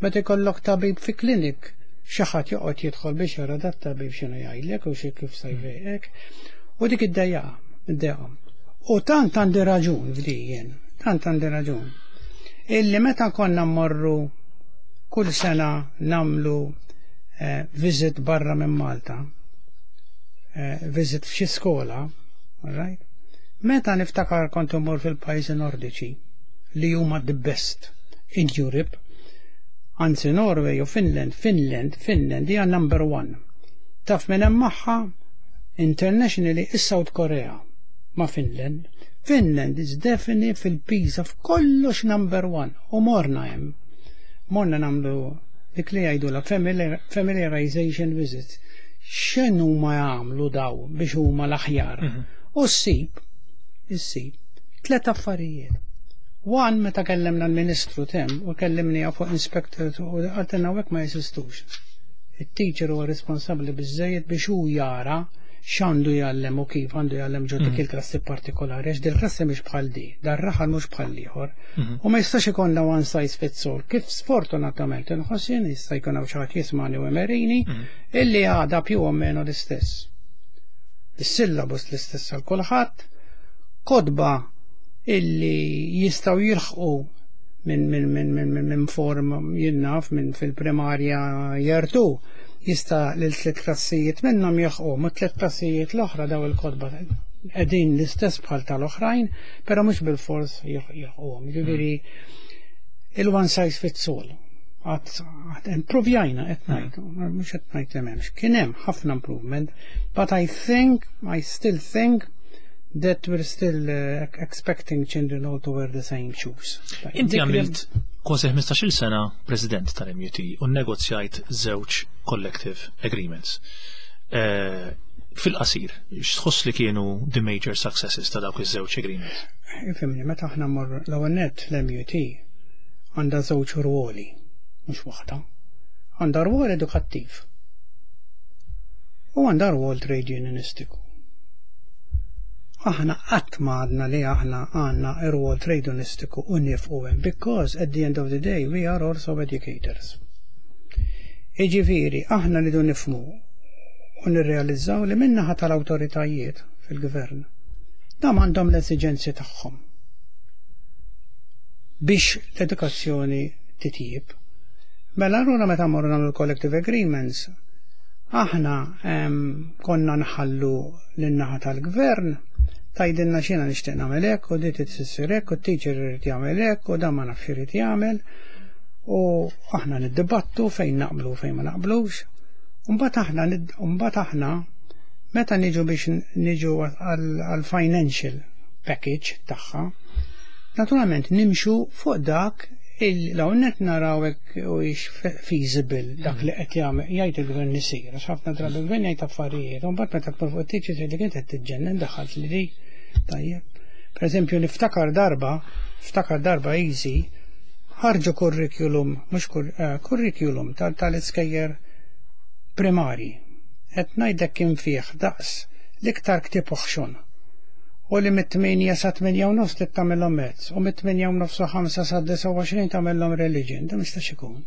Meta jkollok tabib fi klinik, xi ħadd joqgħod jidħol biex jara dat tabib x'inhu jgħidlek u xi kif se jfejqek. U dik id-dejjaqa, id-dejjaqhom. U tant għandi raġun f'dijien, tant għandi raġun. Illi meta konna mmorru kull sena namlu visit barra minn Malta, visit f'xi skola, all right? Meta niftakar kont immur fil-pajjiżi nordiċi li huma the best in Europe, anzi Norway u Finland, Finland, Finland hija number one. Taf minn hemm magħha internationally is-South Korea ma' Finland. Finland is definitely fil-PISA f'kollox number one u morna hemm. Morna nagħmlu dik li jgħidu la familiarization visits. X'inhu ma jagħmlu daw biex huma l-aħjar. U ssib, issib, tlet affarijiet. One, meta kellemna l-Ministru tem u kellimni fuq inspector u qaltilna hekk ma jeżistux. Il-teacher huwa responsabbli biżejjed biex hu jara x'għandu jgħallem u kif għandu jgħallem ġo dik il-klassi partikolari, għax dil-klassi mhix bħal di, dar-raħal mhux bħal ieħor. U ma jistax ikollna one size fits all. Kif sfortunatament inħoss jien jista' jkun hawn xi ħadd jismani u emerini illi għada più o meno l-istess. Is-syllabus l-istess għal kulħadd, kotba illi jistgħu jilħqu minn form jien naf minn fil-primarja jertu jista' lil tliet klassijiet minnhom jilħqu, ma tliet klassijiet l-oħra daw il-kotba qegħdin l-istess bħal tal-oħrajn, però mhux bil-fors jilħquhom. Jiġifieri il-one size fits all. Għad improvjajna qed ngħid, mhux qed ngħid li m'hemmx. Kien hemm ħafna improvement, but I think, I still think that we're still expecting children all to wear the same shoes. Inti għamilt kważi 15-il sena president tal-MUT u negozjajt żewġ collective agreements. Fil-qasir, x'tħoss li kienu the major successes ta' dawk iż-żewġ agreements? Ifhimni, meta aħna mmorru l-ewwel nett l-MUT għandha żewġ ruoli, mhux waħda. Għandha rwol edukattiv u għandha rwol trade unionistiku. Aħna qatt ma għadna li aħna għandna rwol trade unionistiku u nifqu hemm, because at the end of the day we are also educators. Iġifieri, aħna rridu nifhmu u nirrealizzaw li min-naħa tal-awtoritajiet fil-gvern dam għandhom l-esiġenzi tagħhom biex l-edukazzjoni titjib. Mela allura meta morru nagħmlu collective agreements, aħna konna nħallu lin-naħa tal-gvern tgħidilna x'jiena nixtieq nagħmel hekk u di tissir hekk u t-teacher irid jagħmel hekk u dan ma nafx irid jagħmel u aħna niddibattu fejn naqblu u fejn ma naqblux. Mbagħad aħna meta niġu biex niġu għal financial package tagħha, naturalment nimxu fuq dak il-għonet naraw hekk u feasible dak li qed jagħmel jgħid il-gvern isir, għax ħafna drabi il-gvern jgħid affarijiet, u mbagħad meta tmur fuq it-teacher tgħidlek inti qed tiġġennen daħalt li di. Tajjeb. Per eżempju, niftakar darba, ftakar darba easy, ħarġu curriculum, mhux curriculum tal-iskejjel primari. Qed ngħidlek kien fih daqs l-iktar ktieb oħxon. U li mit-8 sa 8:30 trid tagħmilhom maths, u mit-8:30 u 5 sa 29 tagħmilhom religion, da mistax ikun.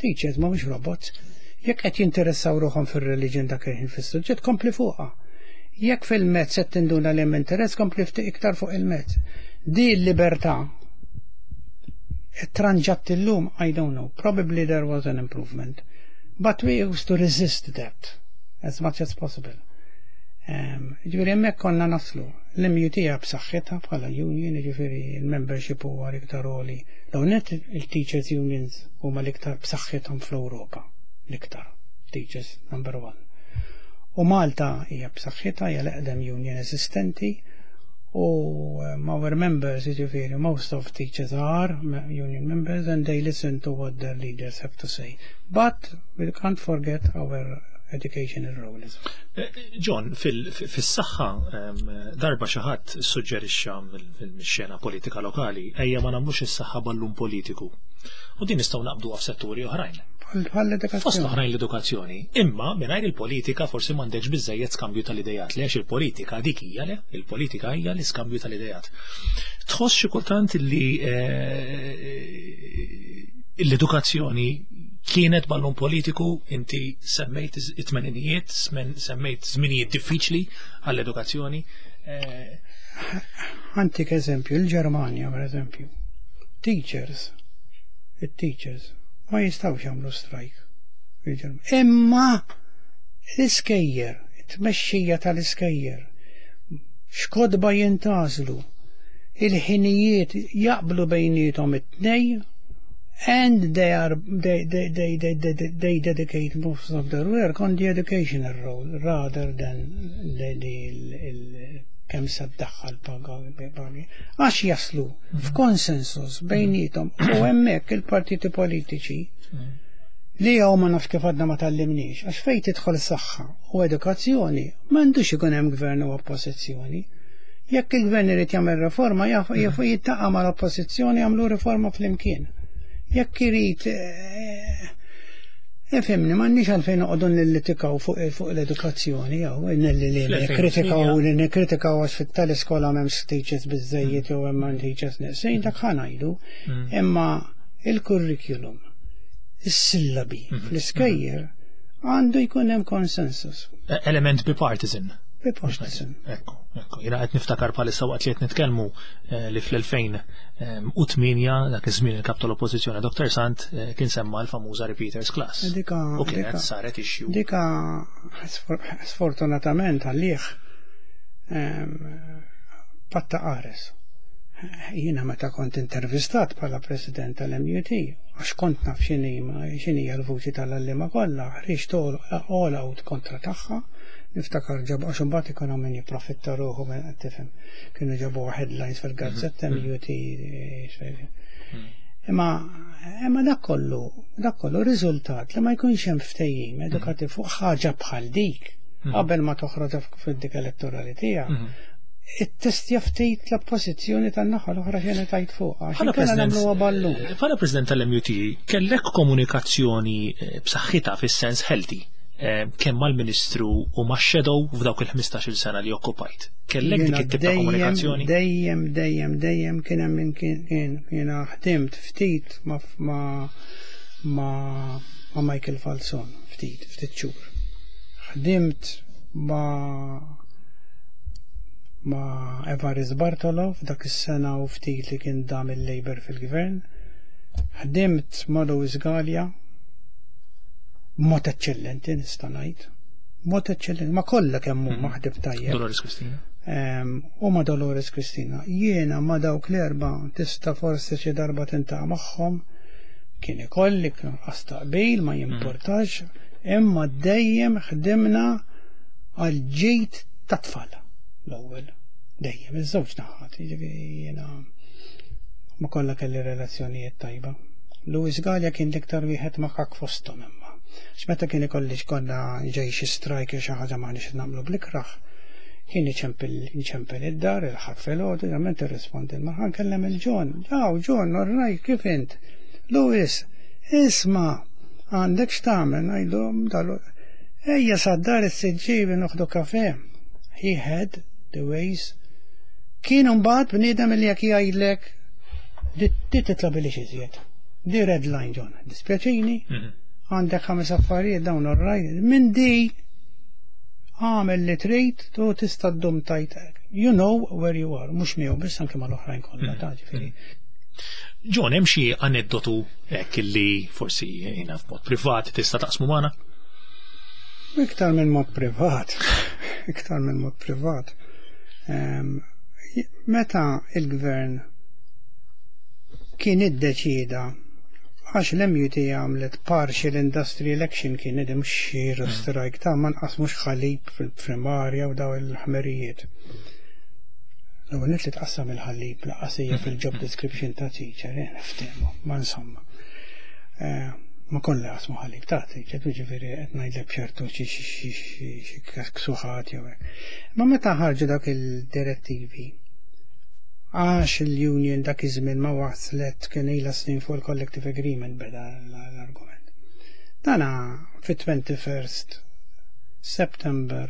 Teachers mhumiex robots. Jekk qed jinteressaw ruħhom fir-religion dak il-ħin fis-suġġett, kompli fuqha. Jekk fil-mezz qed tinduna li hemm interess, kompli ftit iktar fuq il-mezz. Di l-libertà tranġat illum, I don't know. Probably there was an improvement. But we used to resist that as much as possible. Ġifieri hemmhekk konna naslu. L-MUT b'saħħitha bħala union, ġifieri il-membership huwa l-iktar għoli. Dawn net il-teachers unions huma l-iktar b'saħħithom fl-Ewropa. L-iktar. Teachers number one. U Malta hija b'saħħitha, hija l-eqdem union eżistenti u our members, ġifieri, most of teachers are union members and they listen to what their leaders have to say. But we can't forget our educational role as well. John, fis-saħħa darba xi ħadd suġġerixxa fil-xena politika lokali ejja ma nagħmlux is-saħħa ballun politiku. U din nistgħu naqbdu f'setturi oħrajn. Bħal Fost oħrajn l-edukazzjoni. Imma mingħajr il-politika forsi m'għandekx biżejjed skambju tal-idejat. Li għax il-politika dik hija le, il-politika hija l-iskambju tal-idejat. Tħoss xi kultant li l-edukazzjoni kienet ballun politiku, inti semmejt it-tmeninijiet, semmejt żminijiet diffiċli għall-edukazzjoni. Ħa ntik eżempju, il-Ġermanja per eżempju, teachers, il-teachers, ma jistgħux jagħmlu strike. Imma l-iskejjel, it-tmexxija tal-iskejjel, x'kotba jintgħażlu, il-ħinijiet jaqblu bejniethom it-tnejn, and they are they they they they, they, they dedicate most of their work on the educational role rather than the kemm se ddaħħal pagi. Għax jaslu f'konsensus bejniethom u hemmhekk il-partiti politiċi li jew ma nafx kif għadna ma tgħallimniex, għax fejn tidħol saħħa u edukazzjoni m'għandux ikun hemm gvern u oppożizzjoni. Jekk il-gvern irid jagħmel reforma, jaf jiltaqa' mal-oppożizzjoni jagħmlu riforma flimkien. Jekk irid Ifhimni, m'għandniex għalfejn noqogħdu nillitikaw fuq l-edukazzjoni jew li nikkritikaw li nikkritikaw għax fit-tal-iskola m'hemmx teachers biżejjed jew hemm teachers neqsin, dak ħa ngħidu. Imma il-curriculum, is-sillabi fl-iskejjel għandu jkun hemm konsensus. Element bipartisan. Bipartisan. Ekku, ekku. Jiena qed niftakar bħalissa waqt li qed nitkellmu li fl-2008 dak iż-żmien il-kap tal-Oppożizzjoni Dr. Sant kien semma l-famuża Repeaters Class. Dika, U kienet saret issue. Dika sfortunatament għalih patta qares. Jiena meta kont intervistat bħala president tal-MUT, għax kont naf x'inhi l-vuċi tal-għalliema kollha, ħriġt all out kontra tagħha, niftakar ġabu għax imbagħad ikun min jipprofitta ruħu minn qed tifhem. Kienu ġabu headlines fil-gazzetta MUT. Imma dak kollu riżultat li ma jkunx hemm ftehim edukattiv fuq ħaġa bħal dik qabel ma toħroġ fid-dik elettorali tiegħek. Ittestja ftit l-oppożizzjoni tan-naħa l-oħra xejn tajt fuq. Bħala president, bħala president tal-MUT, kellek komunikazzjoni b'saħħitha fis-sens healthy kemm mal-Ministru u ma' Shadow f'dawk il-15-il sena li okkupajt. Kellek dik it-tip ta' komunikazzjoni? Dejjem, dejjem, dejjem kien hemm min kien jiena ħdimt ftit ma' Michael Falzon, ftit, ftit xhur. Ħdimt ma' Evarist Bartolo f'dak is-sena u ftit li kien dam il-Labour fil-gvern. Ħdimt ma' Louis Galea, mod eccellenti nista' ngħid. Mod eccellenti, ma kollha kemm huma ħdimt tajjeb. Dolores Cristina. U ma' Dolores Cristina. Jiena ma' dawk l-erba tista' forsi xi darba tiltaqa' magħhom kien ikolli nuqqas taqbil ma jimportax, imma dejjem ħdimna għal ġid tat-tfal l-ewwel. Dejjem, iż-żewġ naħat, jiġifieri jiena ma kollha kelli relazzjonijiet tajba. Louis Galea kien l-iktar wieħed makak fosthom imma. X'meta kien ikolli konna ġej xi strike xi ħaġa m'aħniex nagħmlu bl-ikraħ, kien iċempel id-dar, il-Ħadd filgħodu, ġament irrispondi ma nkellem il-John. Ġaw, John, all right, kif int? Louis, isma', għandek x'tagħmel, ngħidu dalu. Ejja sad-dar is-Siġġiewi noħdu kafe. He had the ways. Kien mbagħad bniedem li jekk jgħidlek di titla billi iżjed. Di red line, John. Dispjaċini. Għandek ħames affarijiet dawn alright. Minn di għamel li trid u tista' ddum tajt. You know where you are, mhux miegħu biss anke mal-oħrajn kollha ta' ġifieri. John, hemm xi aneddotu hekk li forsi jiena f'mod privat tista' taqsmu magħna? Iktar minn mod privat, iktar minn mod privat. Meta il-gvern kien iddeċida għax l-MUT għamlet partial industrial action kien id xi strike ta' ma nqasmux ħalib fil-primarja u daw il-ħmerijiet. L-ewwel li tqassam il-ħalib lanqas hija fil-job description ta' teacher, eh, niftehmu, ma insomma. Ma kollha qasmu ħalib ta' teacher, ġifieri qed ngħidlek b'ċertu xi ksuħat jew hekk. Ma meta ħarġu dak il-direttivi, għax il-union dak iż-żmien ma waslet kien ilha snin fuq il-collective agreement beda l-argument. Dana fit-21st September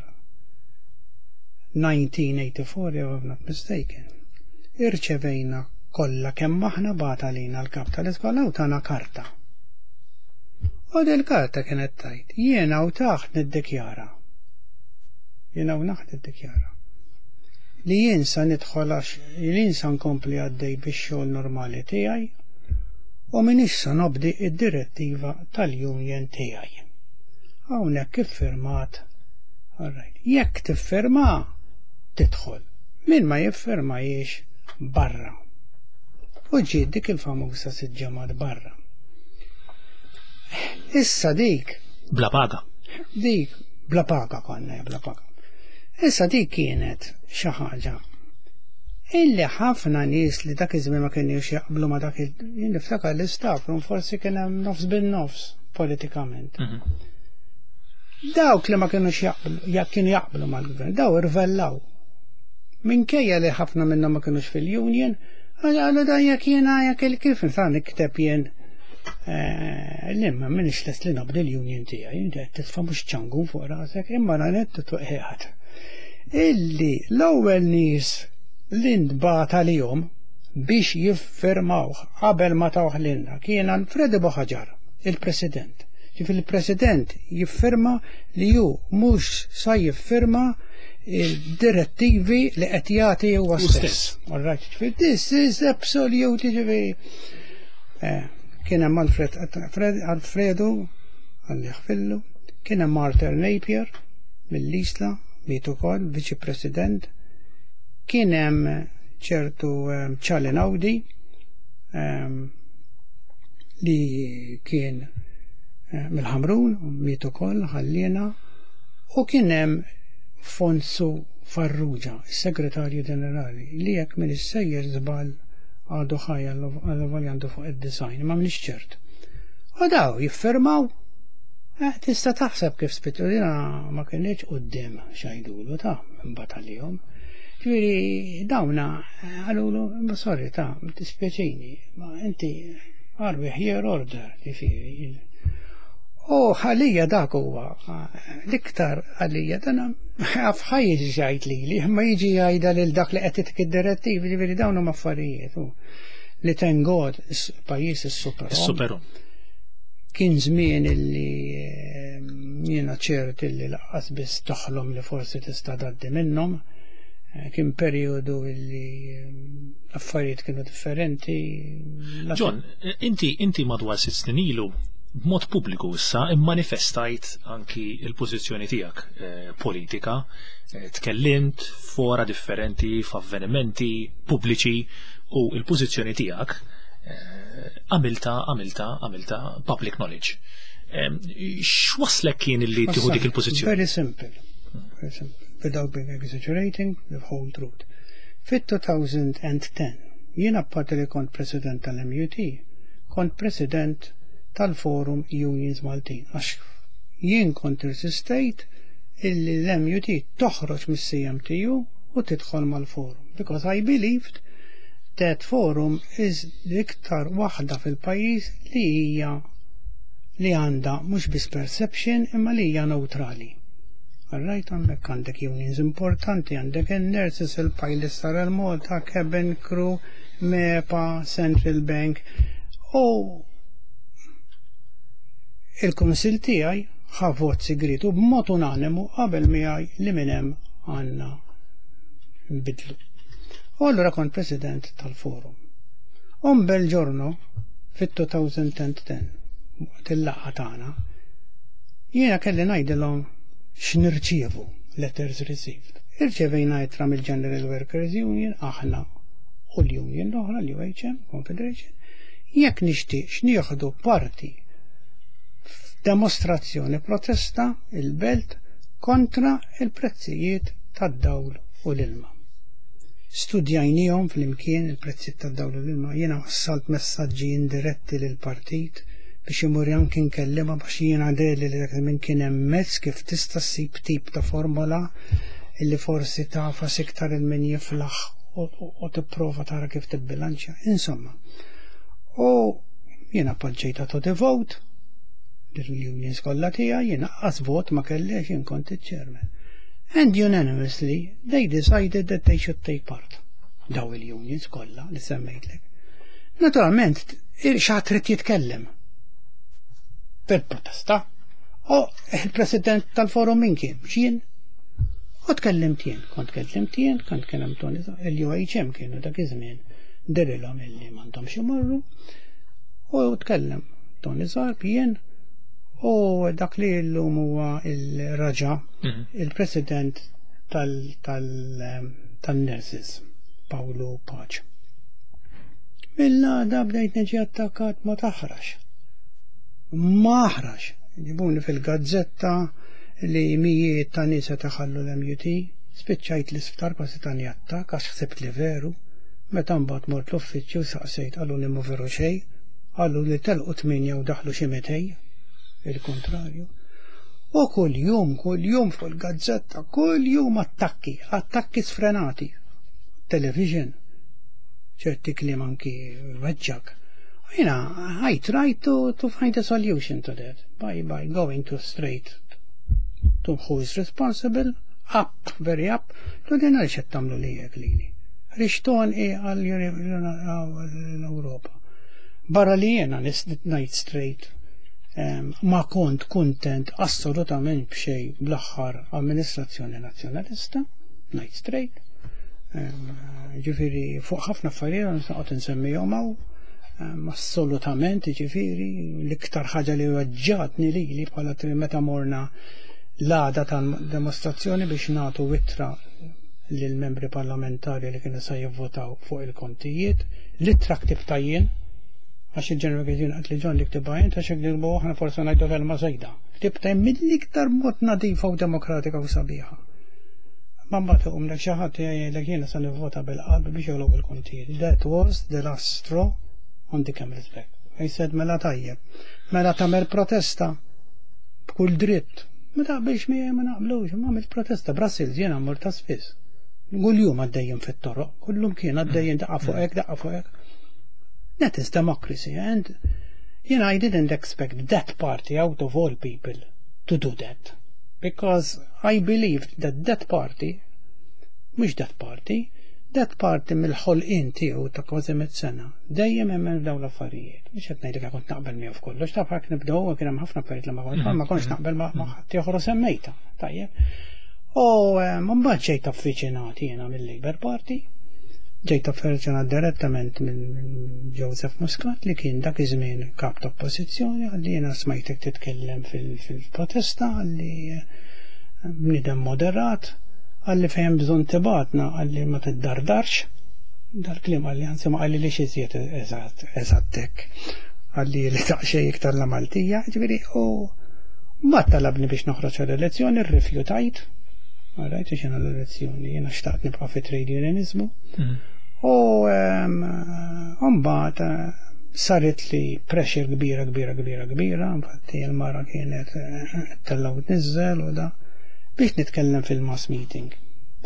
1984, if I'm not mistaken, irċevejna kollha kemm aħna bagħat għalina l-kap tal-iskola u tana karta. U dil-karta kienet tajt, jiena u taħt niddikjara. Jiena u naħt niddikjara. Li jien sa nidħol għax jien sa nkompli għaddej bix-xogħol normali tiegħi u minix sa nobdi id-direttiva tal-union tiegħi. Hawnhekk iffirmat. Alright. Jekk tiffirma, tidħol. Min ma jiffirma jiex barra. U ġiet dik il-famuża sitt ġimgħat barra. Issa dik. Bla paga. Dik, bla paga konna, bla paga. Issa dik kienet xi ħaġa illi ħafna nies li dak iż-żmien ma kienux jaqblu ma dak il niftakar l-istaff forsi kien hemm nofs bin-nofs politikament. Dawk li ma kienux jaqblu, jekk kienu jaqblu mal-gvern, daw irvellaw. Minkejja li ħafna minnhom ma kienux fil-union, għalu dan jekk jiena jekk il-kif nsa nikteb jien li ma minix lest li nobdi l-union tiegħi, inti qed titfa' mhux ċangu fuq rasek, imma ranet tuqiegħed. Illi l-ewwel nies li ntbagħat għalihom biex jiffirmawh qabel ma tawh lilna kien Alfredo Buhagiar, il-President. Ġifieri il-President jiffirma li hu mhux sa jiffirma il-direttivi li qed jagħti huwa stess. All right, ġifieri this is absolute ġifieri. Kien hemm Alfred Alfredo għalli ħfillu, kien hemm Arthur Napier mill-Isla, miet ukoll Viċi President, kien hemm ċertu Charlie Naudi li kien mill-Ħamrun, miet ukoll ħallina, u kien hemm Fonsu Farrugia, is-Segretarju Ġenerali, li jekk minn sejjer żball għadu ħaj għal għandu fuq id-design, ma minix ċert. U daw jiffirmaw, tista' taħseb kif spittu dina ma kienx quddiem xajdulu ta' imbagħad għalihom. Ġifieri dawna għalulu, ma sorry ta' dispjaċini, ma inti are we here order, ġifieri. U għalija dak huwa l-iktar għalija dan għaf ħaj jiġi jgħid lili, ma jiġi jgħidha lil dak li qed titik id-direttivi, ġifieri dawn huma affarijiet li thank God pajjiż is-super. Superu. Kien żmien illi jiena ċert illi lanqas biss toħlom li forsi tista' tgħaddi minnhom. Kien perjodu illi affarijiet kienu differenti. John, inti madwar 6 snin ilu b'mod pubbliku issa immanifestajt anki il-pożizzjoni tiegħek politika, tkellimt fora differenti, f'avvenimenti pubbliċi u il-pożizzjoni tiegħek għamilta public knowledge. X'waslek kien li tieħu dik il-pożizzjoni? Very simple. Very simple. Without being exaggerating, the whole truth. Fit-2010, jien apparti li kont president tal-MUT, kont president tal-Forum Unions Maltin. Għax jien kont insistejt illi l-MUT toħroġ mis-CMTU u tidħol mal-forum. Because I believed that forum is l-iktar waħda fil-pajjiż li hija li għandha mhux biss perception imma li hija neutrali. Alright, għandek għandek unions importanti, għandek il-nurses, il-pilots tal-Malta, cabin crew, MEPA, Central Bank, u Il-kunsill tiegħi ħa vot sigriet u b'mod unanimu qabel miegħi li minn hemm għandna nbidlu. U allura kont president tal-forum. Un bel giorno fit-2010 waqt il-laqgħa tagħna jiena kelli ngħidilhom x'nirċievu letters received. Irċevejna ittra mill-General Workers Union aħna u l-union l-oħra l-UHM Confederation jekk nixtieqx nieħdu parti f'demostrazzjoni protesta il-belt kontra il-prezzijiet tad-dawl u l-ilma. Studjajnihom flimkien il-prezzijiet tad-dawl u l-ilma, jiena wassalt messaġġi indiretti lill-partit biex imur anki nkellimha biex jiena deli li dak minn kien hemm mezz kif tista' ssib tip ta' formola illi forsi tafas iktar il min jiflaħ u tipprova tara kif tibbilanċja. Insomma. U jiena poġġejta to the vote, l-unions kollha tiegħi jiena qas vot ma kellix jien kont iċ-chairman. And unanimously they decided that they should take part. Daw il-unions kollha li semmejtlek. Naturalment, xi trid jitkellem fil-protesta. U il-president tal-forum min kien? Xien? U tkellimt jien, kont kellimt jien, kont kellem Tony, il-UHM kienu dak iż-żmien dirilhom illi m'għandhomx imorru. U tkellem Tony Zarb jien u dak li llum huwa il-raġa, il-president tal-nurses, Paolo Pace. Mill-għada bdejt niġi attakkat ma taħrax. Ma aħrax. Ġibuni fil-gazzetta li mijiet ta' nisa taħallu l-MUT, spiċċajt l-isptar kważi tani attakk għax ħsibt li veru. Meta mbagħad mort l-uffiċċju saqsejt qalu li mhu veru xejn, qalu li telqu 8 u daħlu xi 200, il-kontrarju. U kull jum, kull jum fuq il-gazzetta, kull jum attakki, attakki sfrenati. Television, ċerti kliem anki weġġak. Jiena, I tried to find a solution to that by going to straight to who is responsible, up, very up, to din għaliex qed tagħmlu li hekk lili. Rixton i għal l-Ewropa. Barra li jiena ngħid straight ma kont kuntent assolutament b'xejn bl-aħħar amministrazzjoni nazzjonalista, ngħid straight. Ġifieri fuq ħafna affarijiet nista' insemmihom hawn assolutament ġifieri l-iktar ħaġa li weġġatni lili bħala meta morna l-għada tal-demostrazzjoni biex nagħtu ittra lill-membri parlamentari li kienu sa jivvotaw fuq il-kontijiet, l-ittra ktibta jien, għax il-General Union qed li John li ktibha jien, għax jekk nilbu aħna forsi ngħidu kelma żejda. Ktibta jien mill-iktar mod nadifa u demokratika u sabiħa. Ma mbagħad iqumlek xi ħadd jgħidlek jiena se nivvota bil-qalb biex jogħlob il-kontijiet. That was the last straw on the camel's back. I said mela tajjeb. Mela tagħmel protesta b'kull dritt. Ma taqbilx miegħi ma naqblux, ma għamilt protesta. Brussels jiena mmur ta' spiss. Kull jum għaddejjin fit-toroq, kullum kien għaddejjin daqqa fuq hekk, daqqa fuq hekk. That is democracy and I didn't expect that party out of all people to do that. Because I believed that that party, mhux that party, that party mill-ħolqien tiegħu ta' kważi 100 sena, dejjem hemm dawn l-affarijiet. Mhux qed ngħidlek kont naqbel miegħu f'kollox, taf hekk nibdew kien hemm ħafna affarijiet li ma kont ma kontx naqbel ma' ħadd ieħor u semmejta. Tajjeb. U mbagħad ġejt affiċinat jiena mill-Labour Party, ġejt affiċinat direttament minn Joseph Muscat li kien dak iż-żmien kap ta' oppożizzjoni għalli jiena smajtek titkellem fil-protesta għalli bniedem moderat, għalli fejn bżonn tibgħatna għalli ma tiddardarx, dal-kliem għalli anzi ma għalli li xiżjed eżattek, għalli li taqxej iktar la Maltija, ġifieri u ma talabni biex noħroġ għall-elezzjoni, rrifjutajt, Għarajt, biex jena l-elezzjoni, jena xtaqt nibqa' fi trade unionizmu. U mbagħad saret li pressure kbira, kbira, kbira, kbira, infatti il-mara kienet tella' u tniżżel u da biex nitkellem fil-mass meeting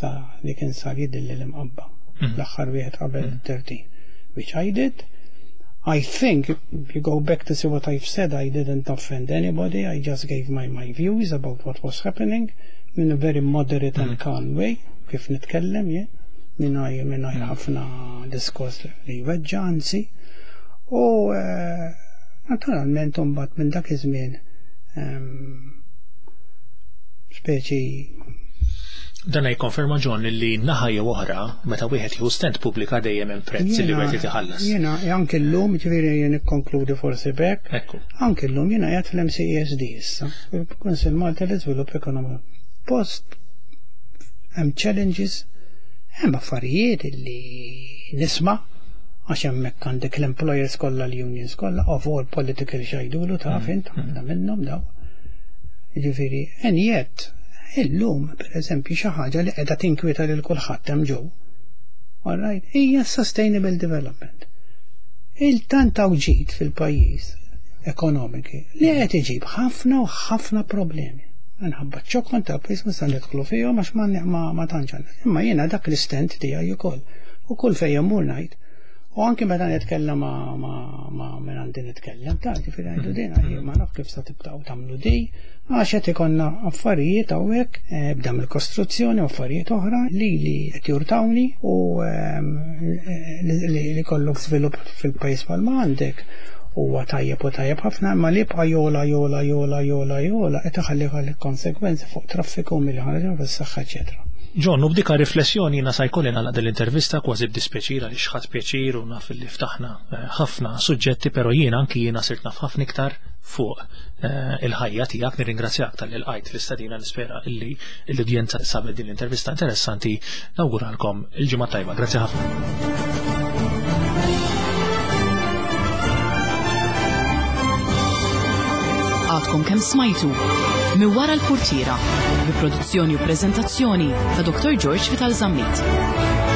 ta' li kien sar jidilli l-Imqabba l-aħħar wieħed qabel 13, which I did. I think if you go back to see what I've said, I didn't offend anybody. I just gave my views about what was happening in a very moderate and calm way, kif nitkellem jien, mingħajr ħafna diskors li jweġġa' anzi. U naturalment mbagħad minn dak iż-żmien Speċi Dan jikkonferma John li naħa jew oħra meta wieħed jieħu stand pubblika dejjem hemm prezz li wieħed iħallas. Jiena anke llum, ġifieri jien nikkonkludi forsi b'hekk. Ekku. Anke llum jiena qiegħed fl-MCESD issa, il-Kunsill Malti l-Iżvilupp Ekonomiku. Post hemm challenges, hemm affarijiet li nisma' għax hemmhekk għandek l-employers kollha l-unions kollha of all political xajdulu taf int ħafna minnhom daw. Ġifieri, and yet illum pereżempju xi ħaġa li qiegħda tinkwieta lil kulħadd hemm ġew. All right, hija sustainable development. Il-tant ġid fil-pajjiż ekonomiki li qed iġib ħafna u ħafna problemi. Minħabba ċokon ta' pajjiż mhux se nidħlu fihom għax ma tantx għandna. Imma jiena dak l-istand tiegħi ukoll. U kull fejn immur ngħid. U anke meta nitkellem ma' minn għandi nitkellem, ta' ġifieri ngħidu din għaj ma naf kif sa tibqgħu tagħmlu di, għax qed ikollna affarijiet hawnhekk bda mill-kostruzzjoni u affarijiet oħra li li qed jurtawni u li kollok żvilupp fil-pajjiż bħalma għandek huwa tajjeb u tajjeb ħafna, imma li jibqa' jola jola jola jola jola qed iħalli ħalli konsegwenzi fuq traffiku milli ħaġa fis-saħħa eċetera. John, u b'dika riflessjoni jiena sa jkolli nagħlaq din l-intervista kważi b'dispjaċir għaliex ħadt pjaċir u naf li ftaħna ħafna suġġetti, però jiena anki jiena sirt naf ħafna iktar fuq il-ħajja tiegħek. Nirringrazzjak talli lqajt l-istedina, nispera illi l-udjenza sabet din l-intervista interessanti. Nawguralkom il-ġimgħa tajba. Grazzi ħafna. Għadkom kemm smajtu Minn wara l-purtiera bi produzzjoni u preżentazzjoni ta' Dr. George Vital Zammit.